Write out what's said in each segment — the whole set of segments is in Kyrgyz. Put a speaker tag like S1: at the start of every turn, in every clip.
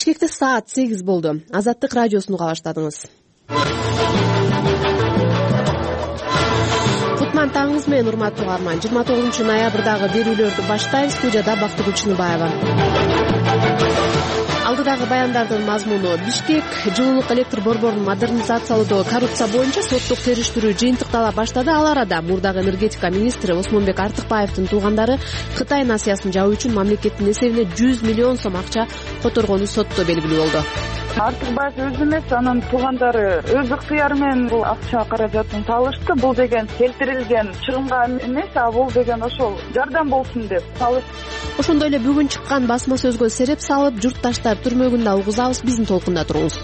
S1: Бишкекте саат 8 болду. Азаттык радиосун уга баштадыңыз. Кутман таңыңыз менен, урматтуу угарман. 29 ноябрдагы берүүлөрдү баштайбыз. Студияда Бактыгүл Чыныбаева. Алдыдагы баяндардын мазмуну: Бишкек жылуулук электр борборун модернизациялоодо коррупция боюнча соттук териштирүү жыйынтыктала баштады. Ал арада мурдагы энергетика министри Осмонбек Артыкбаевдин туугандары Кытай насыясын жабуу үчүн мамлекеттин эсебине 100 миллион сом акча которгону сотто белгилүү болду.
S2: Артыкбаев өзү эмес, анын туугандары өз ыктыяры менен бул акча каражатын салышты. Бул деген келтирилген чыгымга эмес, а бул деген ошол жардам болсун деп салышты.
S1: Ошондой эле бүгүн чыккан басма сөзгө сереп салып, журтташтар түрмөгүндө угузабыз. Биздин толкунда туруңуз.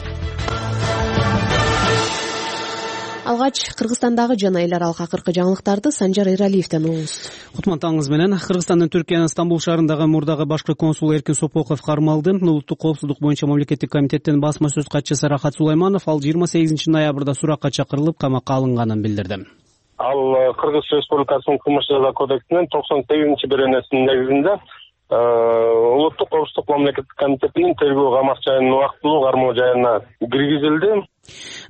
S1: Алгач Кыргызстандагы жана эл аралык акыркы жаңылыктарды Санжар Эралиевден угуңуз.
S3: Кутман таңыңыз менен. Кыргызстандын Түркиянын Стамбул шаарындагы мурдагы башкы консулу Эркин Сопоков кармалды. Улуттук коопсуздук боюнча мамлекеттик комитеттин басма сөз катчысы Рахат Сулайманов ал 28 ноябрда суракка чакырылып камакка алынганын билдирди.
S4: Ал Кыргыз Республикасынын кылмыш жаза кодексинин 98-беренесинин негизинде Улуттук коопсуздук мамлекеттик комитетинин тергөө камак жайынын убактылуу кармоо жайына киргизилди,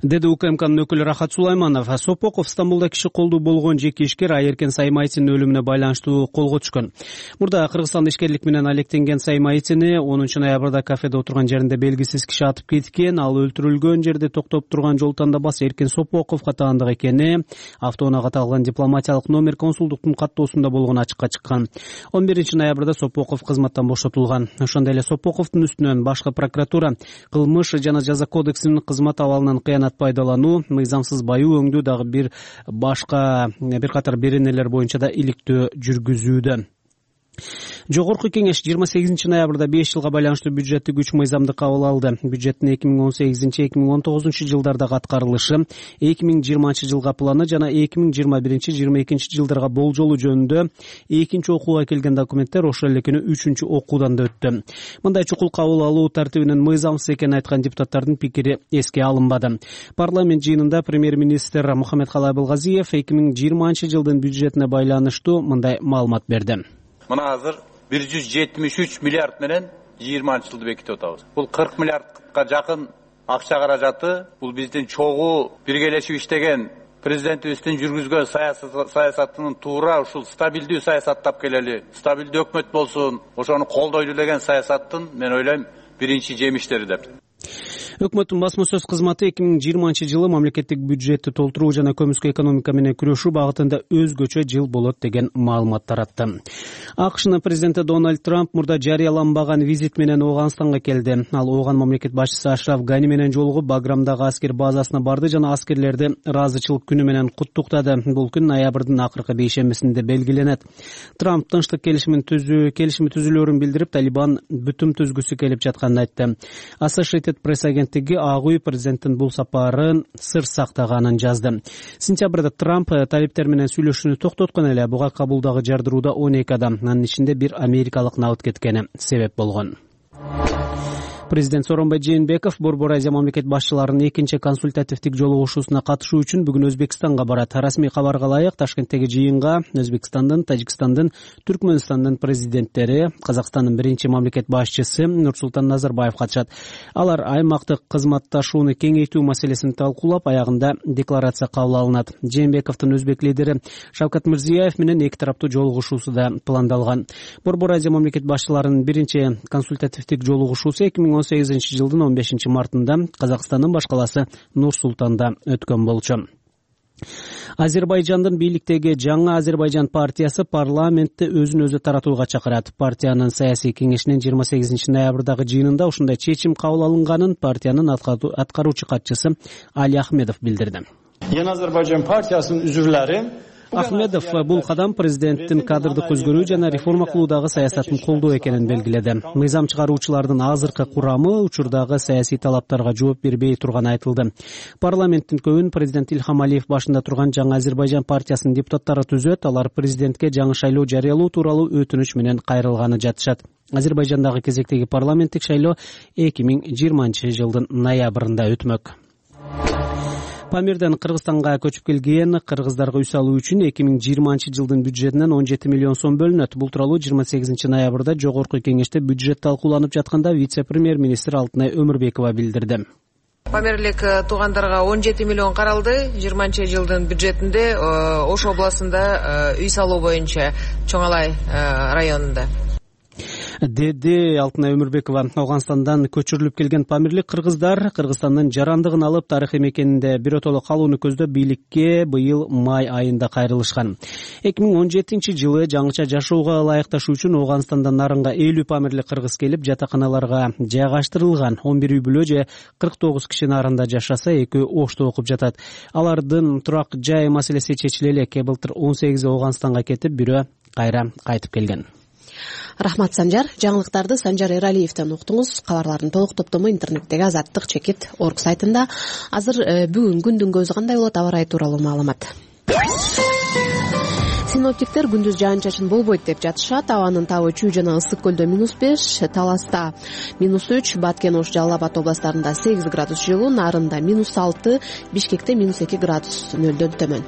S3: деди УКМКнын өкүлү Рахат Сулайманов. Сопоков Стамбулда киши колдуу болгон жеке ишкер Айеркен Саймайтинин өлүмүнө байланыштуу колго түшкөн. Мурда Кыргызстанда ишкерлик менен алектенген Саймайтини 10 ноябрда кафеде отурган жеринде белгисиз киши атып кеткен. Ал өлтүрүлгөн жерде токтоп турган жол тандабасы Эркин Сопоковго таандык экени автоунаага аталган дипломатиялык номер консулдуктун каттоосунда болгону ачыкка чыккан. 11 ноябрда Сопоков кызматтан бошотулган. Ошондой эле Сопоковдун үстүнөн башкы прокуратура кылмыш жана жаза кодексинин кызмат абалынан кыянат пайдалануу, мыйзамсыз баюу өңдүү дагы бир катар беренелер боюнча да иликтөө жүргүзүүдө. Жогорку кеңеш 28 ноябрда 5 жылга байланыштуу бюджеттик 3 мыйзамды кабыл алды. Бюджеттин 2018-2019 жылдардагы аткарылышы, 2020 жылга планы жана 2021-2022 жылдарга болжолу жөнүндө экинчи окууга келген документтер ошол эле күнү 3-чү окуудан да өттү. Мындай чукул кабыл алуу тартибинин мыйзамсыз экенин айткан депутаттардын пикири эске алынбады. Парламент жыйынында премьер-министр Мухаммедкалый Абылгазиев 2020 жылдын бюджетине байланыштуу мындай маалымат берди.
S5: Мына азыр 173 миллиард менен 20 жылды бекитип атабыз. Бул 40 миллиардка жакын акча каражаты. Бул биздин чогуу биргелешип иштеген президентибиздин жүргүзгөн саясатынын туура ушул стабилдүү саясат тап келели, стабилдүү өкмөт болсун, ошону колдойлу деген саясаттын мен ойлойм биринчи жемиштери деп.
S3: Өкмөттүн басма сөз кызматы 2020 жылы мамлекеттик бюджетти толтуруу жана көмүскө экономика менен күрөшүү багытында өзгөчө жыл болот деген маалымат таратты. АКШнын президенти Дональд Трамп мурда жарыяланбаган визит менен Ооганстанга келди. Ал Ооган мамлекет башчысы Ашраф Гани менен жолугуп Баграмдагы аскер базасына барды жана аскерлерди ыраазычылык күнү менен куттуктады. Бул күн ноябрдын акыркы бейшембисинде белгиленет. Трамп тынчтык келишими түзүлөөрүн билдирип, Талибан бүтүм түзгүсү келип жатканын айтты. Associated Press агенттиги Ак үй президенттин бул сапарын сыр сактаганын жазды. Сентябрда Трамп талиптер менен сүйлөшүүнү токтоткон эле, буга Кабулдагы жардырууда 12 адам, анын ичинде бир америкалык набыт кеткени себеп болгон. Президент Сооронбай Жээнбеков Борбор Азия мамлекет башчыларынын экинчи консультативдик жолугушуусуна катышуу үчүн бүгүн Өзбекстанга барат. Расмий кабарга ылайык, Ташкенттеги жыйынга Өзбекстандын, Тажикстандын, Түркмөнстандын президенттери, Казакстандын биринчи мамлекет башчысы Нурсултан Назарбаев катышат. Алар аймактык кызматташууну кеңейтүү маселесин талкуулап, аягында декларация кабыл алынат. Жээнбековдун өзбек лидери Шавкат Мирзиёев менен эки тараптуу жолугушуусу да пландалган. Борбор Азия мамлекет башчыларынын биринчи консультативдик жолугушуусу 2018 жылдын 15 мартында Казакстандын баш каласы Нур-Султанда өткөн болчу. Азербайжандын бийликтеги жаңы Азербайжан партиясы парламентти өзүн-өзү таратууга чакырат. Партиянын саясий кеңешинин 28 ноябрдагы жыйынында ушундай чечим кабыл алынганын партиянын аткаруучу катчысы Али Ахмедов билдирди.
S6: Yeni Azerbaycan партиясынын үзүрлөрү
S3: Ахмедов бул кадам президенттин кадрдык өзгөрүү жана реформа кылуудагы саясатын колдоо экенин белгиледи. Мыйзам чыгаруучулардын азыркы курамы учурдагы саясий талаптарга жооп бербей турганы айтылды. Парламенттин көбүн президент Ильхам Алиев башында турган жаңы Азербайжан партиясынын депутаттары түзөт. Алар президентке жаңы шайлоо жарыялоо тууралуу өтүнүч менен кайрылганы жатышат. Азербайжандагы кезектеги парламенттик шайлоо 2020 жылдын ноябрында өтмөк. Памирден Кыргызстанга көчүп келген кыргыздарга үй салуу үчүн 2020 жылдын бюджетинен 17 миллион сом бөлүнөт. Бул тууралуу 28 ноябрда Жогорку Кеңеште бюджет талкууланып жатканда вице-премьер-министр Алтынай Өмүрбекова билдирди.
S7: Памирлик туугандарга 17 миллион каралды. 20 жылдын бюджетинде Ош областында үй салуу боюнча Чоңалай районунда.
S3: Деди Алтынай Өмүрбекова. Ауганстандан көчүрүлүп келген памирлик кыргыздар Кыргызстандын жарандыгын алып тарыхый мекенинде биротоло калууну көздөп бийликке быйыл май айында кайрылышкан. 2017 жылы жаңыча жашоого ылайыкташуу үчүн Ауганстандан нарынга 50 памирлик кыргыз келип жатаканаларга жайгаштырылган. 11 үй бүлө же 49 киши нарында жашаса, 2 Ошто окуп жатат. Алардын турак жай маселеси чечиле элекке. Былтыр 18 Ауганстанга кетип, бирөө кайра кайтып келген.
S1: Рахмат, Санжар. Жаңылыктарды Санжар Эралиевден уктуңуз. Кабарлардын толук топтому интернеттеги Азаттык-org сайтында. Азыр бүгүн күндүн көзү кандай болот, аба ырайы тууралуу маалымат. Синоптиктер күндүз жаан-чачын болбойт деп жатышат. Абанын табы Чүй жана Ысык көлдө -5, Таласта -3, Баткен, Ош, Жалал Абад областарында 8 градус жылуу, Нарында -6, Бишкекте -2 градус нөлдөн төмөн.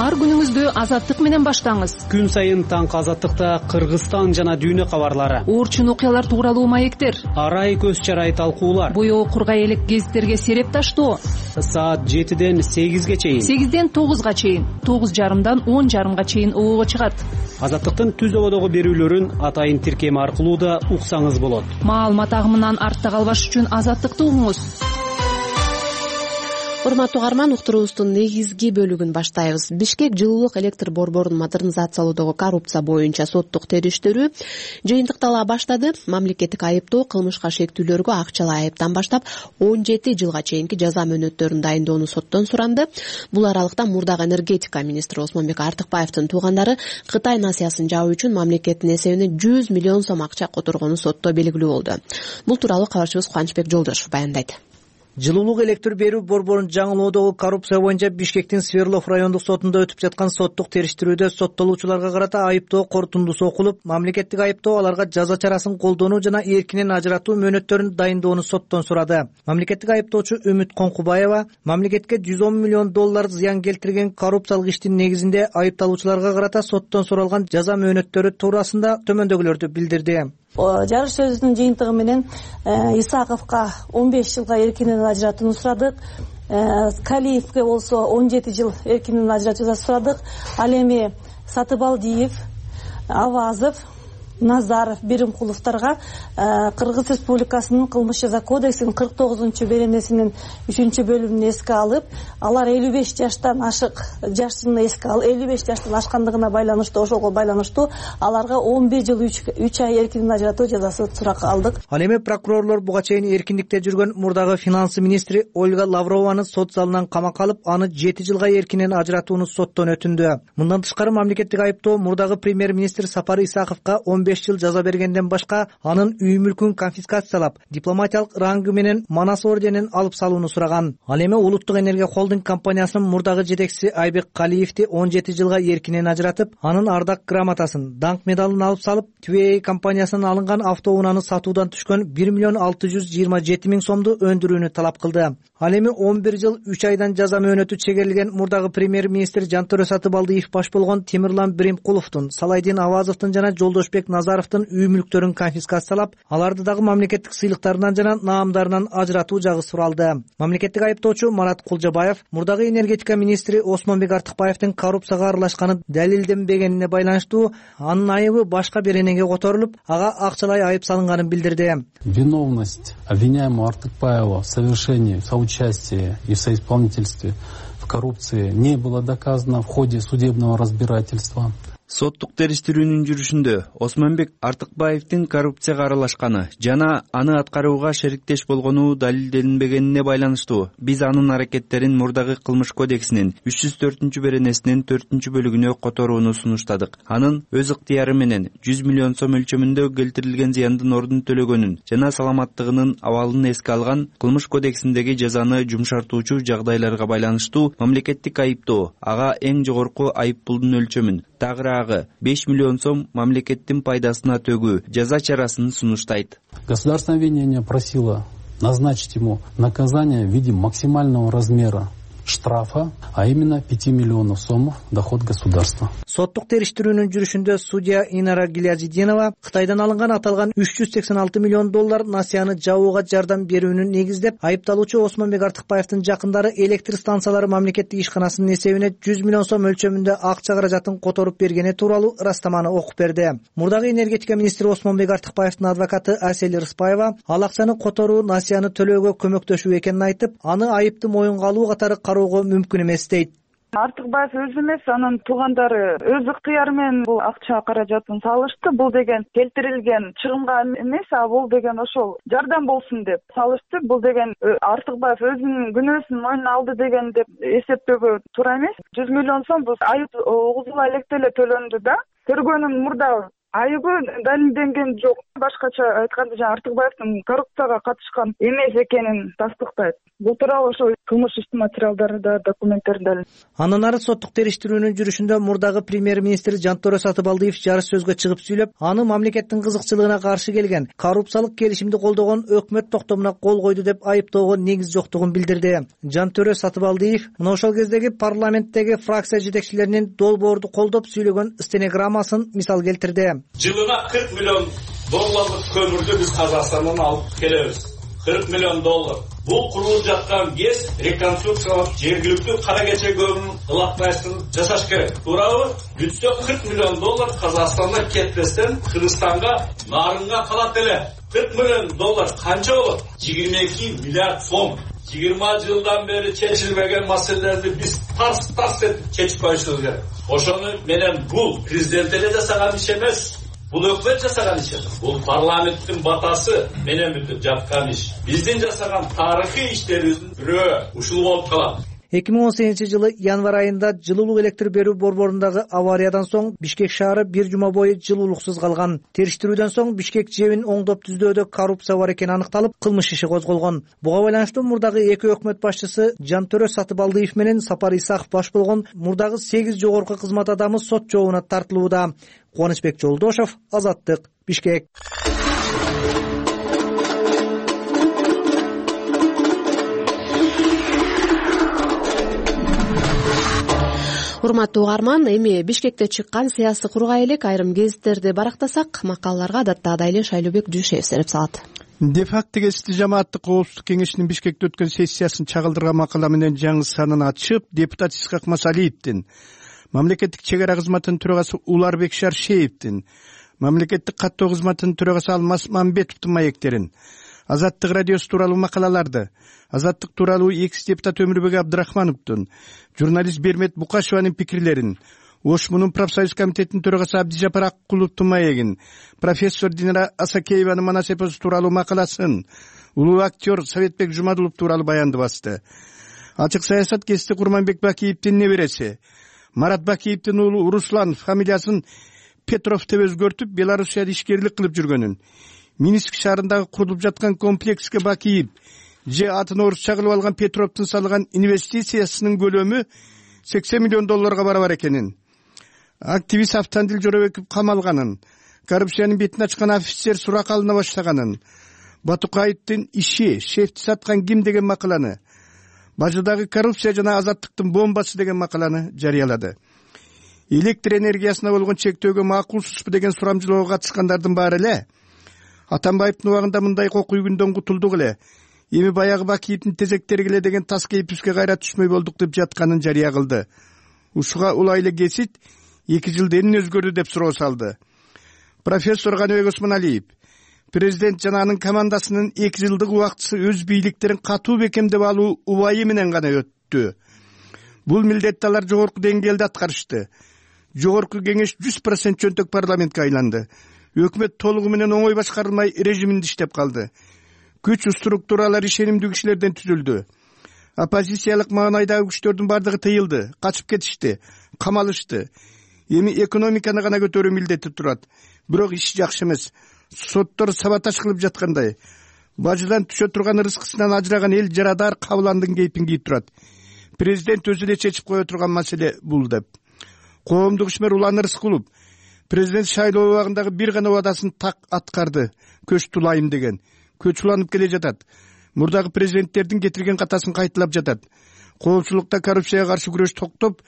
S8: Ар күнүңүздү Азаттык менен баштаңыз.
S3: Күн сайын таңкы Азаттыкта Кыргызстан жана дүйнө кабарлары,
S8: Орчун окуялар тууралуу маектер,
S3: арай көз чарай талкуулар,
S8: боёо кургай элек гезиттерге сереп таштоо.
S3: Саат 7ден 8ге чейин,
S8: 8ден 9га чейин, 9:30дан 10:30га чейин оого чыгат.
S3: Азаттыктын түз ободогу берүүлөрүн атайын тиркеми аркылуу да уксаңыз болот.
S8: Маалымат агымынан артта калбаш үчүн Азаттыкты угуңуз.
S1: Урматтуу угарман, уктуруубуздун негизги бөлүгүн баштайбыз. Бишкек жылуулук электр борборун модернизациялоодогу коррупция боюнча соттук териштирүү жыйынтыктала баштады. Мамлекеттик айыптоо кылмышка шектүүлөргө акчалай айыптан баштап 17 жылга чейинки жаза мөөнөттөрүн дайындоону соттон суранды. Бул аралыкта мурдагы энергетика министри Осмонбек Артыкбаевдин туугандары Кытай насыясын жабуу үчүн мамлекеттин эсебине 100 миллион сом акча которгону сотто белгилүү болду. Бул тууралуу кабарчыбыз Кубанычбек Жолдошев баяндайт.
S9: Жылуулук электр берүү борборун жаңылоодогу коррупция боюнча Бишкектин Сверлов райондук сотунда өтүп жаткан соттук териштирүүдө соттолуучуларга карата айыптоо корутундусу окулуп, мамлекеттик айыптоо аларга жаза чарасын колдонуу жана эркинен ажыратуу мөөнөттөрүн дайындоону соттон сурады. Мамлекеттик айыптоочу Үмүт Коңкубаева мамлекетке 110 миллион доллар зыян келтирген коррупциялык иштин негизинде айыпталуучуларга карата соттон суралган жаза мөөнөттөрү туурасында төмөндөгүлөрдү билдирди.
S10: Жарыш сөзүнүн жыйынтыгы менен Исаковго 15 жылга эркинен ажыратууну сурадык. Калиевге болсо 17 жыл эркинен ажыратууну сурадык. Ал эми Сатыбалдиев, Авазов, Назаров, Беримкуловторго Кыргыз Республикасынын кылмыш жаза кодексинин 49-беренесинин 3-бөлүмүн эске алып, алар 55 жаштан ашык жашын эске алып, 55 жаштан ашкандыгына байланыштуу, ошого байланыштуу аларга 11 жыл 3 ай эркинен ажыратуу жазасы суракка алдык.
S9: Ал эми прокурорлор буга чейин эркиндикте жүргөн мурдагы финанс министри Ольга Лаврованы сот залынан камакка алып, аны 7 жылга эркинен ажыратууну соттон өтүндү. Мындан тышкары мамлекеттик айыптоо мурдагы премьер-министр Сапар Исаковго 15 жыл жаза бергенден башка анын үй мүлкүн конфискациялап, дипломатиялык рангы менен Манас орденин алып салууну сураган. Ал эми Улуттук энергия холдинг компаниясынын мурдагы жетекчиси Айбек Калиевди 17 жылга эркинен ажыратып, анын ардак грамотасын, даңк медалын алып салып, ТВА компаниясынан алынган автоунааны сатуудан түшкөн 1 миллион 627 миң сомду өндүрүүнү талап кылды. Ал эми 11 жыл 3 айдан жаза мөөнөтү чегерилген мурдагы премьер-министр Жантөрө Сатыбалдиев баш болгон Темирлан Беримкуловдун, Салайдин Авазовдун жана Жолдошбек Назаровдун үй мүлктөрүн конфискациялап, аларды дагы мамлекеттик сыйлыктарынан жана наамдарынан ажыратуу жагы суралды. Мамлекеттик айыптоочу Марат Кулжабаев мурдагы энергетика министри Осмонбек Артыкбаевдин коррупцияга аралашканы далилденбегенине байланыштуу анын айыбы башка беренеге которулуп, ага акчалай айып салынганын билдирди.
S11: Виновность обвиняемого Артыкбаева в совершении, соучастии и соисполнительстве в коррупции не было доказано в ходе судебного разбирательства.
S12: Соттук териштирүүнүн жүрүшүндө Осмонбек Артыкбаевдин коррупцияга аралашканы жана аны аткарууга шериктеш болгону далилденбегенине байланыштуу биз анын аракеттерин мурдагы кылмыш кодексинин 304-беренесинин 4-бөлүгүнө которууну сунуштадык. Анын өз ыктыяры менен 100 миллион сом өлчөмүндө келтирилген зыяндын ордун төлөгөнүн жана саламаттыгынын абалын эске алган кылмыш кодексиндеги жазаны жумшартуучу жагдайларга байланыштуу мамлекеттик айыптоо ага эң жогорку айыппулдун өлчөмүн, тагыраагы 5 миллион сом мамлекеттин пайдасына төгүү жаза чарасын сунуштайт.
S11: Государственное обвинение просило назначить ему наказание в виде максимального размера штрафа, а именно 5 миллионов сомов доход государства.
S9: Соттук териштирүүнүн жүрүшүндө судья Инара Гилязидинова Кытайдан алынган аталган 386 миллион доллар насыяны жабууга жардам берүүнү негиздеп, айыпталуучу Осмонбек Артыкбаевдин жакындары электр станциялары мамлекеттик ишканасынын эсебине 100 миллион сом өлчөмүндө акча каражатын которуп бергени тууралуу ырастаманы окуп берди. Мурдагы энергетика министри Осмонбек Артыкбаевдин адвокаты Асель Рыспаева ал акчаны которуу насыяны төлөөгө көмөктөшүү экенин айтып, аны айыпты моюнга алуу катары кароого мүмкүн эмес дейт.
S2: Артыкбаев өзү эмес, анын туугандары өз ыктыяры менен бул акча каражатын салышты. Бул деген келтирилген чыгымга эмес, а бул деген ошол жардам болсун деп салышты. Бул деген Артыкбаев өзүнүн күнөөсүн мойнуна алды деген деп эсептөөгө туура эмес. 100 миллион сом бул айып угузула электе эле төлөндү да. Тергөөнүн мурда айыбы далилденген жок. Башкача айтканда Артыкбаевдин коррупцияга катышкан эмес экенин тастыктайт. Бул тууралуу ошо кылмыш иши материалдарында, документтеринде.
S9: Андан ары соттук териштирүүнүн жүрүшүндө мурдагы премьер-министр Жантөре Сатыбалдиев жарыш сөзгө чыгып сүйлөп, аны мамлекеттин кызыкчылыгына каршы келген, коррупциялык келишимди колдогон өкмөт токтомуна кол койду деп айыптоого негиз жоктугун билдирди. Жантөре Сатыбалдиев мына ошол кездеги парламенттеги фракция жетекчилеринин долбоорду колдоп сүйлөгөн стенограммасын мисал келтирди.
S13: Жылына 40 миллион долларлык көмүрдү биз Казакстандан алып келебиз. 40 миллион доллар. Бул курулуп жаткан ГЭС реконструкциялап жергиликтүү кара кече көмүрүн ылапмайсын жасаш керек. Туурабы? Бүтсө 40 миллион доллар Казакстандан кетпестен Кыргызстанга, нарынга калат эле. 40 миллион доллар канча болот? 22 миллиард сом. 20 жылдан бери чечилбеген маселелерди биз тарс этип чечип коюшубуз керек. Ошону менен бул президент эле жасаган иш эмес. Бул өкмөт жасаган иш эмес. Бул парламенттин батасы менен бүтүп жаткан иш. Биздин жасаган тарыхый иштерибиздин бирөө ушул болуп калат.
S9: 2018 жылы январь айында жылуулук электр берүү борборундагы авариядан соң Бишкек шаары бир жума бою жылуулуксуз калган. Териштирүүдөн соң Бишкек жебин оңдоп түздөөдө коррупция бар экени аныкталып, кылмыш иши козголгон. Буга байланыштуу мурдагы эки өкмөт башчысы Жантөре Сатыбалдиев менен Сапар Исаков баш болгон мурдагы 8 жогорку кызмат адамы сот жообуна тартылууда. Кубанычбек Жолдошов, Азаттык, Бишкек.
S1: Урматтуу угарман, эми Бишкекте чыккан саясий кургай элек айрым гезиттерди барактасак, макалаларга адаттагыдай эле Шайлообек Дүйшеев сереп салат.
S14: Де факто гезити жамааттык коопсуздук кеңешинин Бишкекте өткөн сессиясын чагылдырган макала менен жаңы санын ачып, депутат Исхак Масалиевдин, мамлекеттик чек ара кызматынын төрагасы Уларбек Шаршеевдин, мамлекеттик каттоо кызматынын төрагасы Алмаз Мамбетовдун маектерин, Азаттык радиосу тууралуу макалаларды, Азаттык тууралуу экс-депутат Өмүрбек Абдрахмановдун, журналист Бермет Букашеванын пикирлерин, Ошмунун профсоюз комитетинин төрагасы Абдижапар Аккуловдун маегин, профессор Динара Асакееванын манас эпосу тууралуу макаласын, улуу актер Советбек Жумадулов тууралуу баянды басты. Ачык саясат гезити Курманбек Бакиевдин небереси Марат Бакиевдин уулу Руслан фамилиясын Петров деп өзгөртүп, Белоруссияда ишкерлик кылып жүргөнүн, Минск шаарындагы курулуп жаткан комплекске Бакиев же атын орусча кылып алган Петровдун салган инвестициясынын көлөмү 80 миллион долларга барабар экенин, активист Автандил Жоробеков камалганын, коррупциянын бетин ачкан офицер сурак алына баштаганын, Батукаевдин иши шефти саткан ким деген макаланы, Бажыдагы коррупция жана азаттыктын бомбасы деген макаланы жарыялады. Электр энергиясына болгон чектөөгө макулсузбу деген сурамжылоого катышкандардын баары эле Атамбаевдин убагында мындай кокуй күндөн кутулдук эле, эми баягы Бакиевдин тезектери келе деген тас кейпибизге кайра түшмөй болдук деп жатканын жарыя кылды. Ушуга улай эле кесит 2 жылда эмне өзгөрдү деп суроо салды. Профессор Каныбек Осмоналиев, президент жана анын командасынын 2 жылдык убактысы өз бийликтерин катуу бекемдеп алуу убайы менен гана өттү. Бул милдетти алар жогорку деңгээлде аткарышты. Жогорку кеңеш 100% чөнтөк парламентке айланды. Өкмөт толугу менен оңой башкарылмай режиминде иштеп калды. Күч структуралар ишенимдүү кишилерден түзүлдү. Оппозициялык маанайдагы күчтөрдүн бардыгы тыйылды, качып кетишти, камалышты. Эми экономиканы гана көтөрүү милдети турат. Бирок иш жакшы эмес. Соттор саботаж кылып жаткандай. Бажыдан түшө турган рызкысынан ажыраган эл жарадар кабыландын кейпин кийип турат. Президент өзү эле чечип кое турган маселе бул деп. Коомдук ишмер Улан Рыскулов президент шайлоо убагындагы бир гана убадасын так аткарды. Көч тулайым деген. Көч уланып келе жатат. мурдагы президенттердин кетирген катасын кайталап жатат. Коомчулукта коррупцияга каршы күрөш токтоп,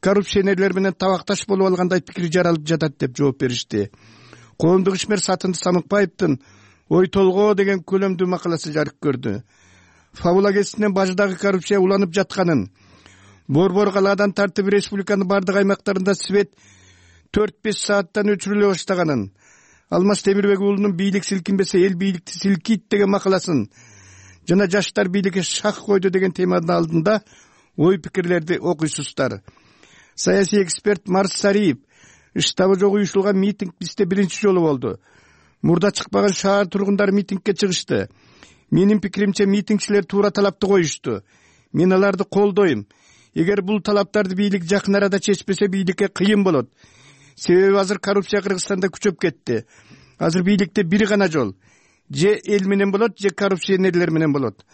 S14: коррупционерлер менен табакташ болуп алгандай пикир жаралып жатат деп жооп беришти. Коомдук ишмер Сатынды Самыкбаевдин ой толгоо деген көлөмдүү макаласы жарык көрдү. Фабула кесинен бажыдагы коррупция уланып жатканын, борбор калаадан тартып республиканын бардык аймактарында свет 4-5 сааттан өчүрүлө баштаганын, Алмаз Темирбек уулунун бийлик силкинбесе эл бийликти силкийт деген макаласын жана жаштар бийликке шак койду деген теманын алдында ой пикирлерди окуйсуздар. Саясий эксперт Марс Сариев: штабы жок уюшулган митинг бизде биринчи жолу болду. Мурда чыкпаган шаар тургундары митингке чыгышты. Менин пикиримче митингчилер туура талапты коюшту. Мен аларды колдойм. Эгер бул талаптарды бийлик жакын арада чечпесе, бийликке кыйын болот. Себеби азыр коррупция Кыргызстанда күчөп кетти. Азыр бийликте бир гана жол: же эл менен болот, же коррупционерлер менен болот.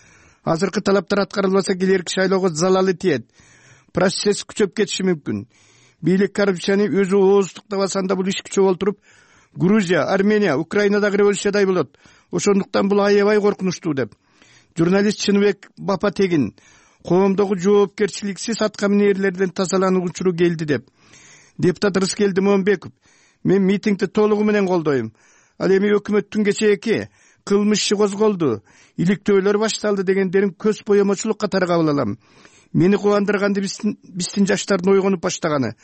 S14: Азыркы талаптар аткарылбаса, келерки шайлоого залалы тиет. Процесс күчөп кетиши мүмкүн. Бийлик коррупцияны өзү ооздуктап алсанда, бул иш күчөп олтуруп Грузия, Армения, Украинадагы революциядай болот. Ошондуктан бул аябай коркунучтуу деп журналист Чыныбек Бапатегин коомдогу жоопкерчиликсиз аткаминерлерден тазалануу учуру келди деп. Депутат Рыскелди Момбеков: мен митингди толугу менен колдойм. Ал эми өкмөттүн кечээки кылмыш иши козголду, иликтөөлөр башталды дегендерин көз боемочулук катары кабыл алам. Мени кубандырганды биздин жаштардын ойгонуп баштаганы.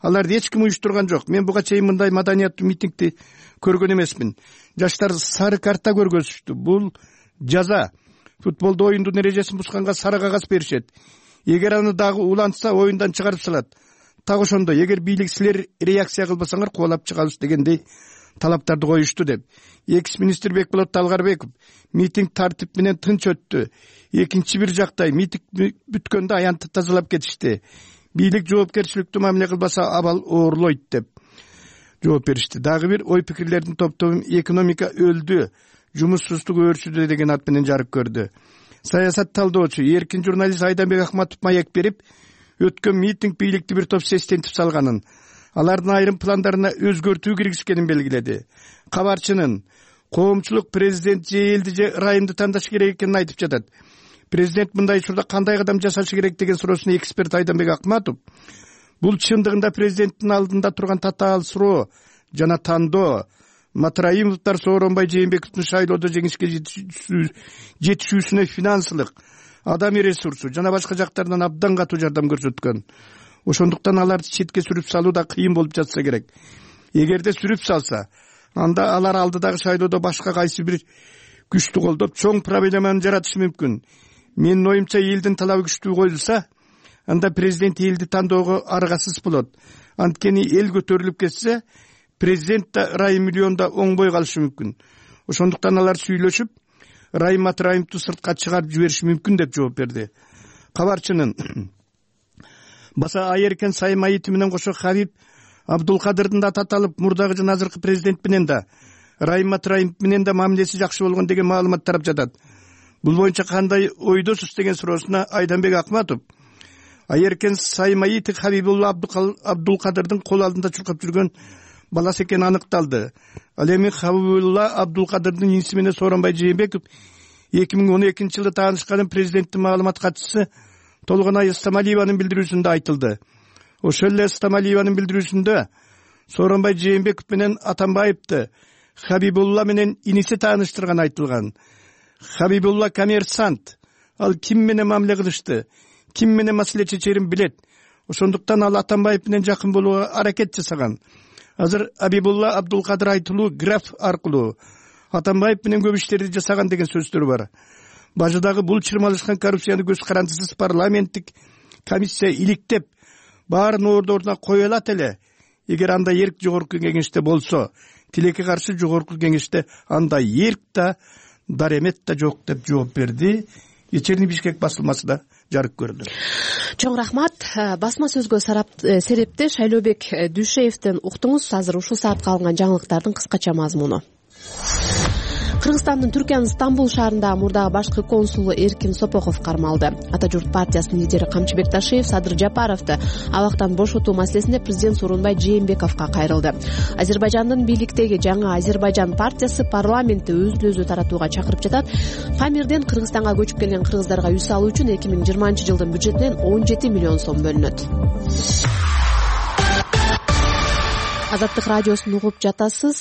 S14: Аларды эч ким уюштурган жок. Мен буга чейин мындай маданияттуу митингди көргөн эмесмин. Жаштар сары карта көргөзүштү. Бул жаза. Футболдо оюндун эрежесин бусканга сары кагаз беришет. Эгер аны дагы улантса, оюндан чыгарып салат. Так ошондой, эгер бийлик силер реакция кылбасаңар, кубалап чыгабыз дегендей талаптарды коюшту деп. Экс-министр Бекболот Талгарбеков: митинг тартип менен тынч өттү. Экинчи бир жактай митинг бүткөндө аянтты тазалап кетишти. Бийлик жоопкерчиликтүү мамиле кылбаса, абал оорлойт деп жооп беришти. Дагы бир ой пикирлердин топтобу экономика өлдү, жумушсуздук өөрчүдү деген ат менен жарык көрдү. Саясат талдоочу, эркин журналист Айданбек Ахматов маек берип, өткөн митинг бийликти бир топ сестентип салганын, алардын айрым пландарына өзгөртүү киргизгенин белгиледи. Кабарчынын коомчулук президент же элди же райымды тандаш керек экенин айтып жатат. Президент мындай учурда кандай кадам жасашы керек деген суроосуна эксперт Айданбек Акматов: бул чындыгында президенттин алдында турган татаал суроо жана тандоо. Матраимовдор Сооронбай Жээнбековдун шайлоодо жеңишке жетишүүсүнө финансылык, адамий ресурсу жана башка жактардан абдан катуу жардам көрсөткөн. Ошондуктан аларды четке сүрүп салуу да кыйын болуп жатса керек. Эгерде сүрүп салса, анда алар алдыдагы шайлоодо башка кайсы бир күчтү колдоп чоң проблеманы жаратышы мүмкүн. Менин оюмча, элдин талабы күчтүү коюлса, анда президент элди тандоого аргасыз болот. Анткени эл көтөрүлүп кетсе, президент да Райым миллионда оңбой калышы мүмкүн. Ошондуктан алар сүйлөшүп, Райым Матраимовду сыртка чыгарып жибериши мүмкүн деп жооп берди. Кабарчынын баса Айеркен Саймаити менен кошо Хабиб Абдулкадырдын да таталып, мурдагы жана азыркы президент менен да, Райым Матраимов менен да мамилеси жакшы болгон деген маалымат тарап жатат. Бул боюнча кандай ойдосуз деген суроосуна Айданбек Акматов: Айеркен Саймаити Хабибулла Абдулкадырдын кол алдында чуркап жүргөн баласы экени аныкталды. Ал эми Хабибулла Абдулкадырдын иниси менен Сооронбай Жээнбеков 2012 жылы таанышканын президенттин маалымат катчысы Толгонай Стамалиеванын билдирүүсүндө айтылды. Ошол эле Стамалиеванын билдирүүсүндө Сооронбай Жээнбеков менен Атамбаевди Хабибулла менен иниси тааныштырган айтылган. Хабибулла коммерсант. Ал ким менен мамиле кылышты, ким менен маселе чечерин билет. Ошондуктан ал Атамбаев менен жакын болууга аракет жасаган. Азыр Хабибулла Абдулкадыр айтылуу граф аркылуу Атамбаев менен көп иштерди жасаган деген сөздөр бар. Бажыдагы бул чырмалышкан коррупцияны көз карандысыз парламенттик комиссия иликтеп, баарын ордуна кое алат эле. Эгер андай эрк жогорку кеңеште болсо, тилекке каршы жогорку кеңеште андай эрк да, даремет да жок деп жооп берди. Вечерний Бишкек басылмасында жарык көрдү.
S1: Чоң рахмат. Басма сөзгө серепте Шайлообек Дүйшеевден уктуңуз. Азыр ушул саатка алынган жаңылыктардын кыскача мазмуну. Кыргызстандын Түркиянын Стамбул шаарындагы мурдагы башкы консулу Эркин Сопоков кармалды. Ата журт партиясынын лидери Камчыбек Ташиев Садыр Жапаровду абактан бошотуу маселесинде президент Сооронбай Жээнбековго кайрылды. Азербайжандын бийликтеги жаңы Азербайжан партиясы парламентти өзүн-өзү таратууга чакырып жатат. Памирден Кыргызстанга көчүп келген кыргыздарга үй салуу үчүн 2020 жылдын бюджетинен 17 миллион сом бөлүнөт. Азаттык радиосун угуп жатасыз.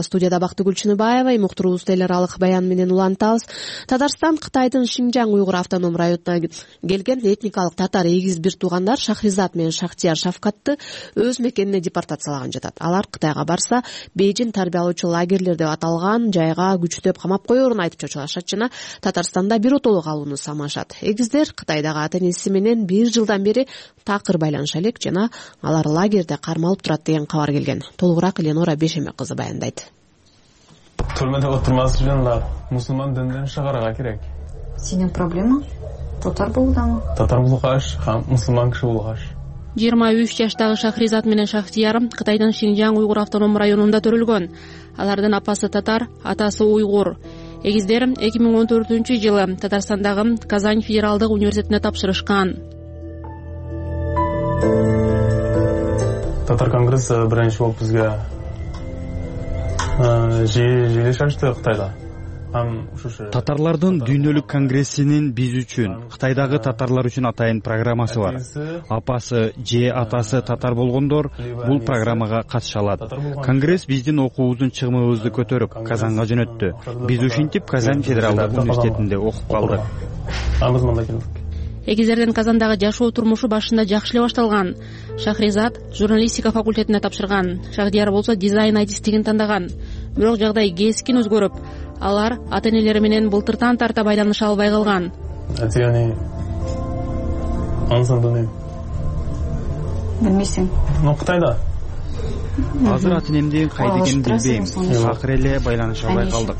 S1: Студияда Бактыгүл Чыныбаева, уктуруубузду эл аралык баян менен улантабыз. Татарстан Кытайдын Шинжаң уйгур автоном районуна келген этникалык татар эгиз бир туугандар Шахризат менен Шахтияр Шавкатты өз мекенине депортациялаган жатат. Алар Кытайга барса, Бейжин тарбиялоочу лагерлер деп аталган жайга күчтөп камап коерун айтып чочулашат жана Татарстанда биротоло калууну самашат. Эгиздер Кытайдагы ата-энеси менен 1 жылдан бери такыр байланыша элек жана алар лагерде кармалып турат деген кабар келген. Толугураак Ленора Бешеме кызы баяндайт.
S15: Түрмөдө отурмас үчүн мусулман дінден чыгарга керек.
S16: Сенин проблема татар болуудамы?
S15: Татар болгаш, мусулман киши болгаш.
S8: 23 жаштагы Шахризат менен Шахтияр Кытайдын Шинжаң уйгур автоном районунда төрөлгөн. Алардын апасы татар, атасы уйгур. Эгиздер 2014-жылы Татарстандагы Казань федералдык университетине тапшырышкан.
S15: Татар конгресси биринчи болуп бизге жыйылыш ачты Кытайда.
S12: Татарлардын дүйнөлүк конгрессинин биз үчүн, Кытайдагы татарлар үчүн атайын программасы бар. Апасы же атасы татар болгондор бул программага катыша алат. Конгресс биздин окуубуздун чыгымыбызды көтөрүп Казанга жөнөттү. Биз ушинтип Казань федералдык университетинде окуп калдык.
S8: Эгиздердин Казандагы жашоо турмушу башында жакшы эле башталган. Шахризат журналистика факультетине тапшырган. Шахдияр болсо дизайн айтистигин тандаган. Бирок жагдай кескин өзгөрүп, алар ата-энелери менен былтыртан тарта байланыша албай калган.
S16: Билмейсиң?
S15: Кытайда.
S12: Азыр ата-энемдин кайда экенин билбейм. Акыр эле байланыша албай калдык.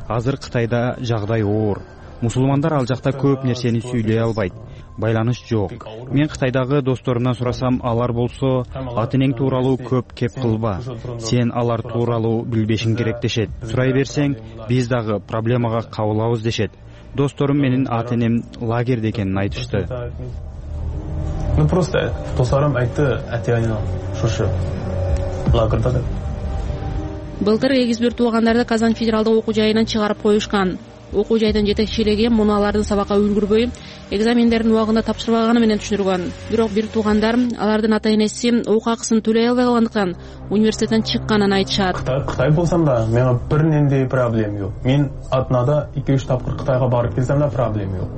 S12: Азыр Кытайда жагдай оор. Мусулмандар ал жакта көп нерсени сүйлөй албайт. Байланыш жок. Мен Кытайдагы досторумдан сурасам, алар болсо ата-энең тууралуу көп кеп кылба. Сен алар тууралуу билбешиң керек дешет. Сурай берсең, биз дагы проблемага кабылабыз дешет. Досторум менин ата-энем лагерде экенин айтышты.
S15: Просто досторум айтты, ата-энем шушу лагерде деп.
S8: Былтыр эгиз бир туугандарды Казань федералдык окуу жайынан чыгарып коюшкан. Окуу жайдын жетекчилиги муну алардын сабакка үлгүрбөй, экзамендердин убагында тапшырбаганы менен түшүнүргөн. Бирок бир туугандар алардын ата-энеси окуу акысын төлөй албай калгандыктан университеттен чыкканын айтышат.
S15: Кытай болсам да, менин бир нендей проблем жок. Мен атнада 2-3 тапкыр Кытайга барып келсем да проблем жок.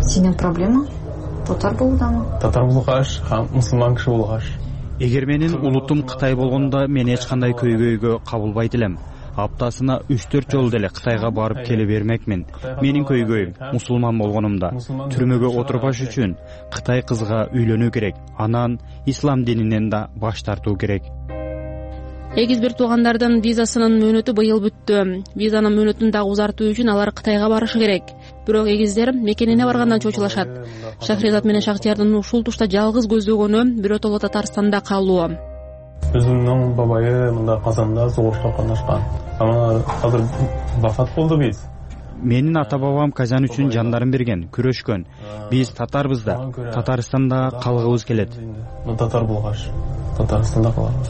S16: Сенин проблема татар болуудамы?
S15: Татар болгаш, мусулман киши болгаш.
S12: Эгер менин улутум Кытай болгондо мен эч кандай көйгөйгө кабылбайт элем. Аптасына 3-4 жолу деле Кытайга барып келе бермекмин. Менин көйгөйүм мусулман болгонумда түрмөгө отурбаш үчүн Кытай кызга үйлөнүү керек. Анан ислам дининен да баш тартуу керек.
S8: Эгиз бир туугандардын визасынын мөөнөтү быйыл бүттү. Визанын мөөнөтүн дагы узартуу үчүн алар Кытайга барышы керек. Бирок эгиздер мекенине баргандан чочулашат. Шахризат менен Шахтиярдын ушул тушта жалгыз көздөгөнү биротоло Татарстанда калуу.
S15: Өзүмдүн бабайы мында Казанда согушта катнашкан. Азыр вафат болду биз.
S12: Менин ата-бабам Казан үчүн жандарын берген, күрөшкөн. Биз татарбыз да, Татарстанда калгыбыз келет.
S15: Татар болгаш, Татарстанда калабыз.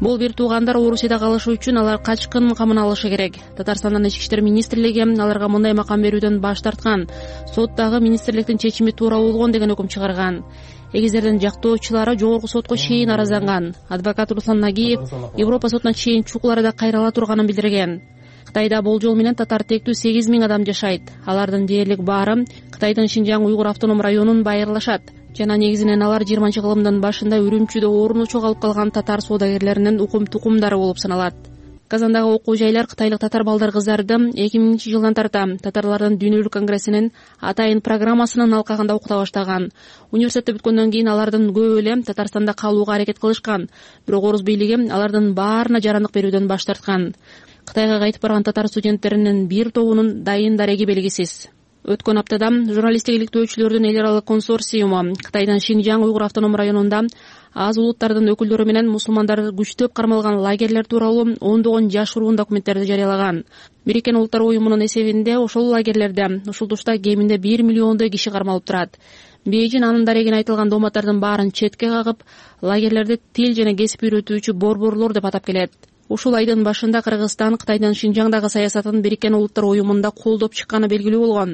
S8: Бул бир туугандар Орусияда калышы үчүн алар качкын камын алышы керек. Татарстандын ички иштер министрлиги аларга мындай макам берүүдөн баш тарткан. Соттагы министрликтин чечими туура болгон деген өкүм чыгарган. Эгиздердин жактоочулары жогорку сотко чейин арызданган. Адвокат Руслан Нагиев Европа сотуна чейин чукуларда кайрыла турганын билдирген. Кытайда болжол менен татар тектүү 8000 адам жашайт. Алардын дээрлик баары Кытайдын Шинжаң уйгур автоном районун байырлашат. Жана негизинен алар 20-кылымдын башында Үрүмчүдө орну чоголуп калган татар соодагерлеринин укум-тукумдары болуп саналат. Казандагы окуу жайлар кытайлык татар балдар кыздарды 2000-жылдан тарта татарлардын дүйнөлүк конгрессинин атайын программасынын алкагында окута баштаган. Университетти бүткөндөн кийин алардын көбү эле Татарстанда калууга аракет кылышкан. Бирок Орус бийлиги алардын баарына жарандык берүүдөн баш тарткан. Кытайга кайтып барган татар студенттеринин бир тобунун дайын дареги белгисиз. Өткөн аптада журналисттик иликтөөчүлөрдүн эл аралык консорциуму Кытайдын Шинжаң уйгур автоном районунда аз улуттардын өкүлдөрү менен мусулмандар күчтөп кармалган лагерлер тууралуу ондогон жашыруун документтерди жарыялаган. Бириккен Улуттар уюмунун эсебинде ошол лагерлерде ушул тушта кеминде 1 миллиондой киши кармалып турат. Бейжин анын дарегине айтылган дооматтардын баарын четке кагып, лагерлерди тил жана кесип үйрөтүүчү борборлор деп атап келет. Ушул айдын башында Кыргызстан Кытайдын Шинжаңдагы саясатын Бириккен Улуттар уюмунда колдоп чыкканы белгилүү болгон.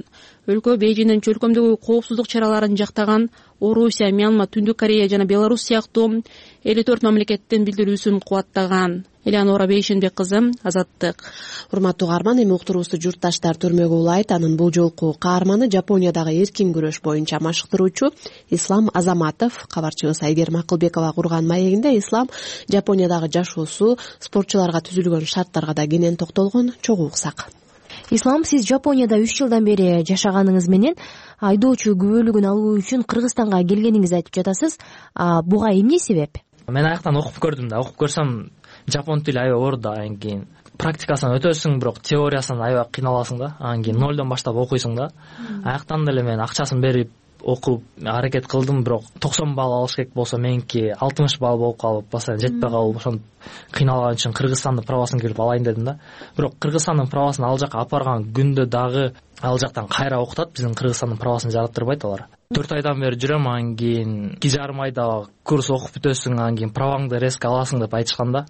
S8: Өлкө Бейжиндин чөлкөмдөгү коопсуздук чараларын жактаган Орусия, Мьянма, Түндүк Корея жана Беларусь сыяктуу 54 мамлекеттин билдирүүсүн кубаттаган. Элеонора Бейшенбек кызы, Азаттык.
S1: Урматтуу каарман, эми уктуруубузду журтташтар түрмөгө улайт. Анын бул жолку каарманы Жапониядагы эркин күрөш боюнча машыктыруучу Ислам Азаматов. Кабарчыбыз Айгерим Акылбекова курган маегинде Ислам Жапониядагы жашоосу, спортчуларга түзүлгөн шарттарга да кенен токтолгон. Чогуу уксак.
S17: Ислам, сиз Жапонияда 3 жылдан бери жашаганыңыз менен айдоочу күбөлүгүн алуу үчүн Кыргызстанга келгениңизди айтып жатасыз. Буга эмне себеп?
S18: Мен аяктан окуп көрдүм да, окуп көрсөм жапон тили аябай оор да. Анан кийин практикасын өтөсүң, бирок теориясын аябай кыйналасың да. Анан кийин нолдон баштап окуйсуң да. Аяктан деле мен акчасын берип окуп аракет кылдым, бирок 90 балл алыш керек болсо меники 60 балл болуп калып, басаан жетпей калып, ошону кыйналган үчүн Кыргызстандын правасын келип алайын дедим да. Бирок Кыргызстандын правасын ал жака апарган күндө дагы ал жактан кайра окутат, биздин Кыргызстандын правасын жараттырбайт алар. 4 айдан бери жүрөм, анан кийин 2,5 айда курс окуп бүтөсүң, анан кийин праваңды резко аласың деп айтышкан да.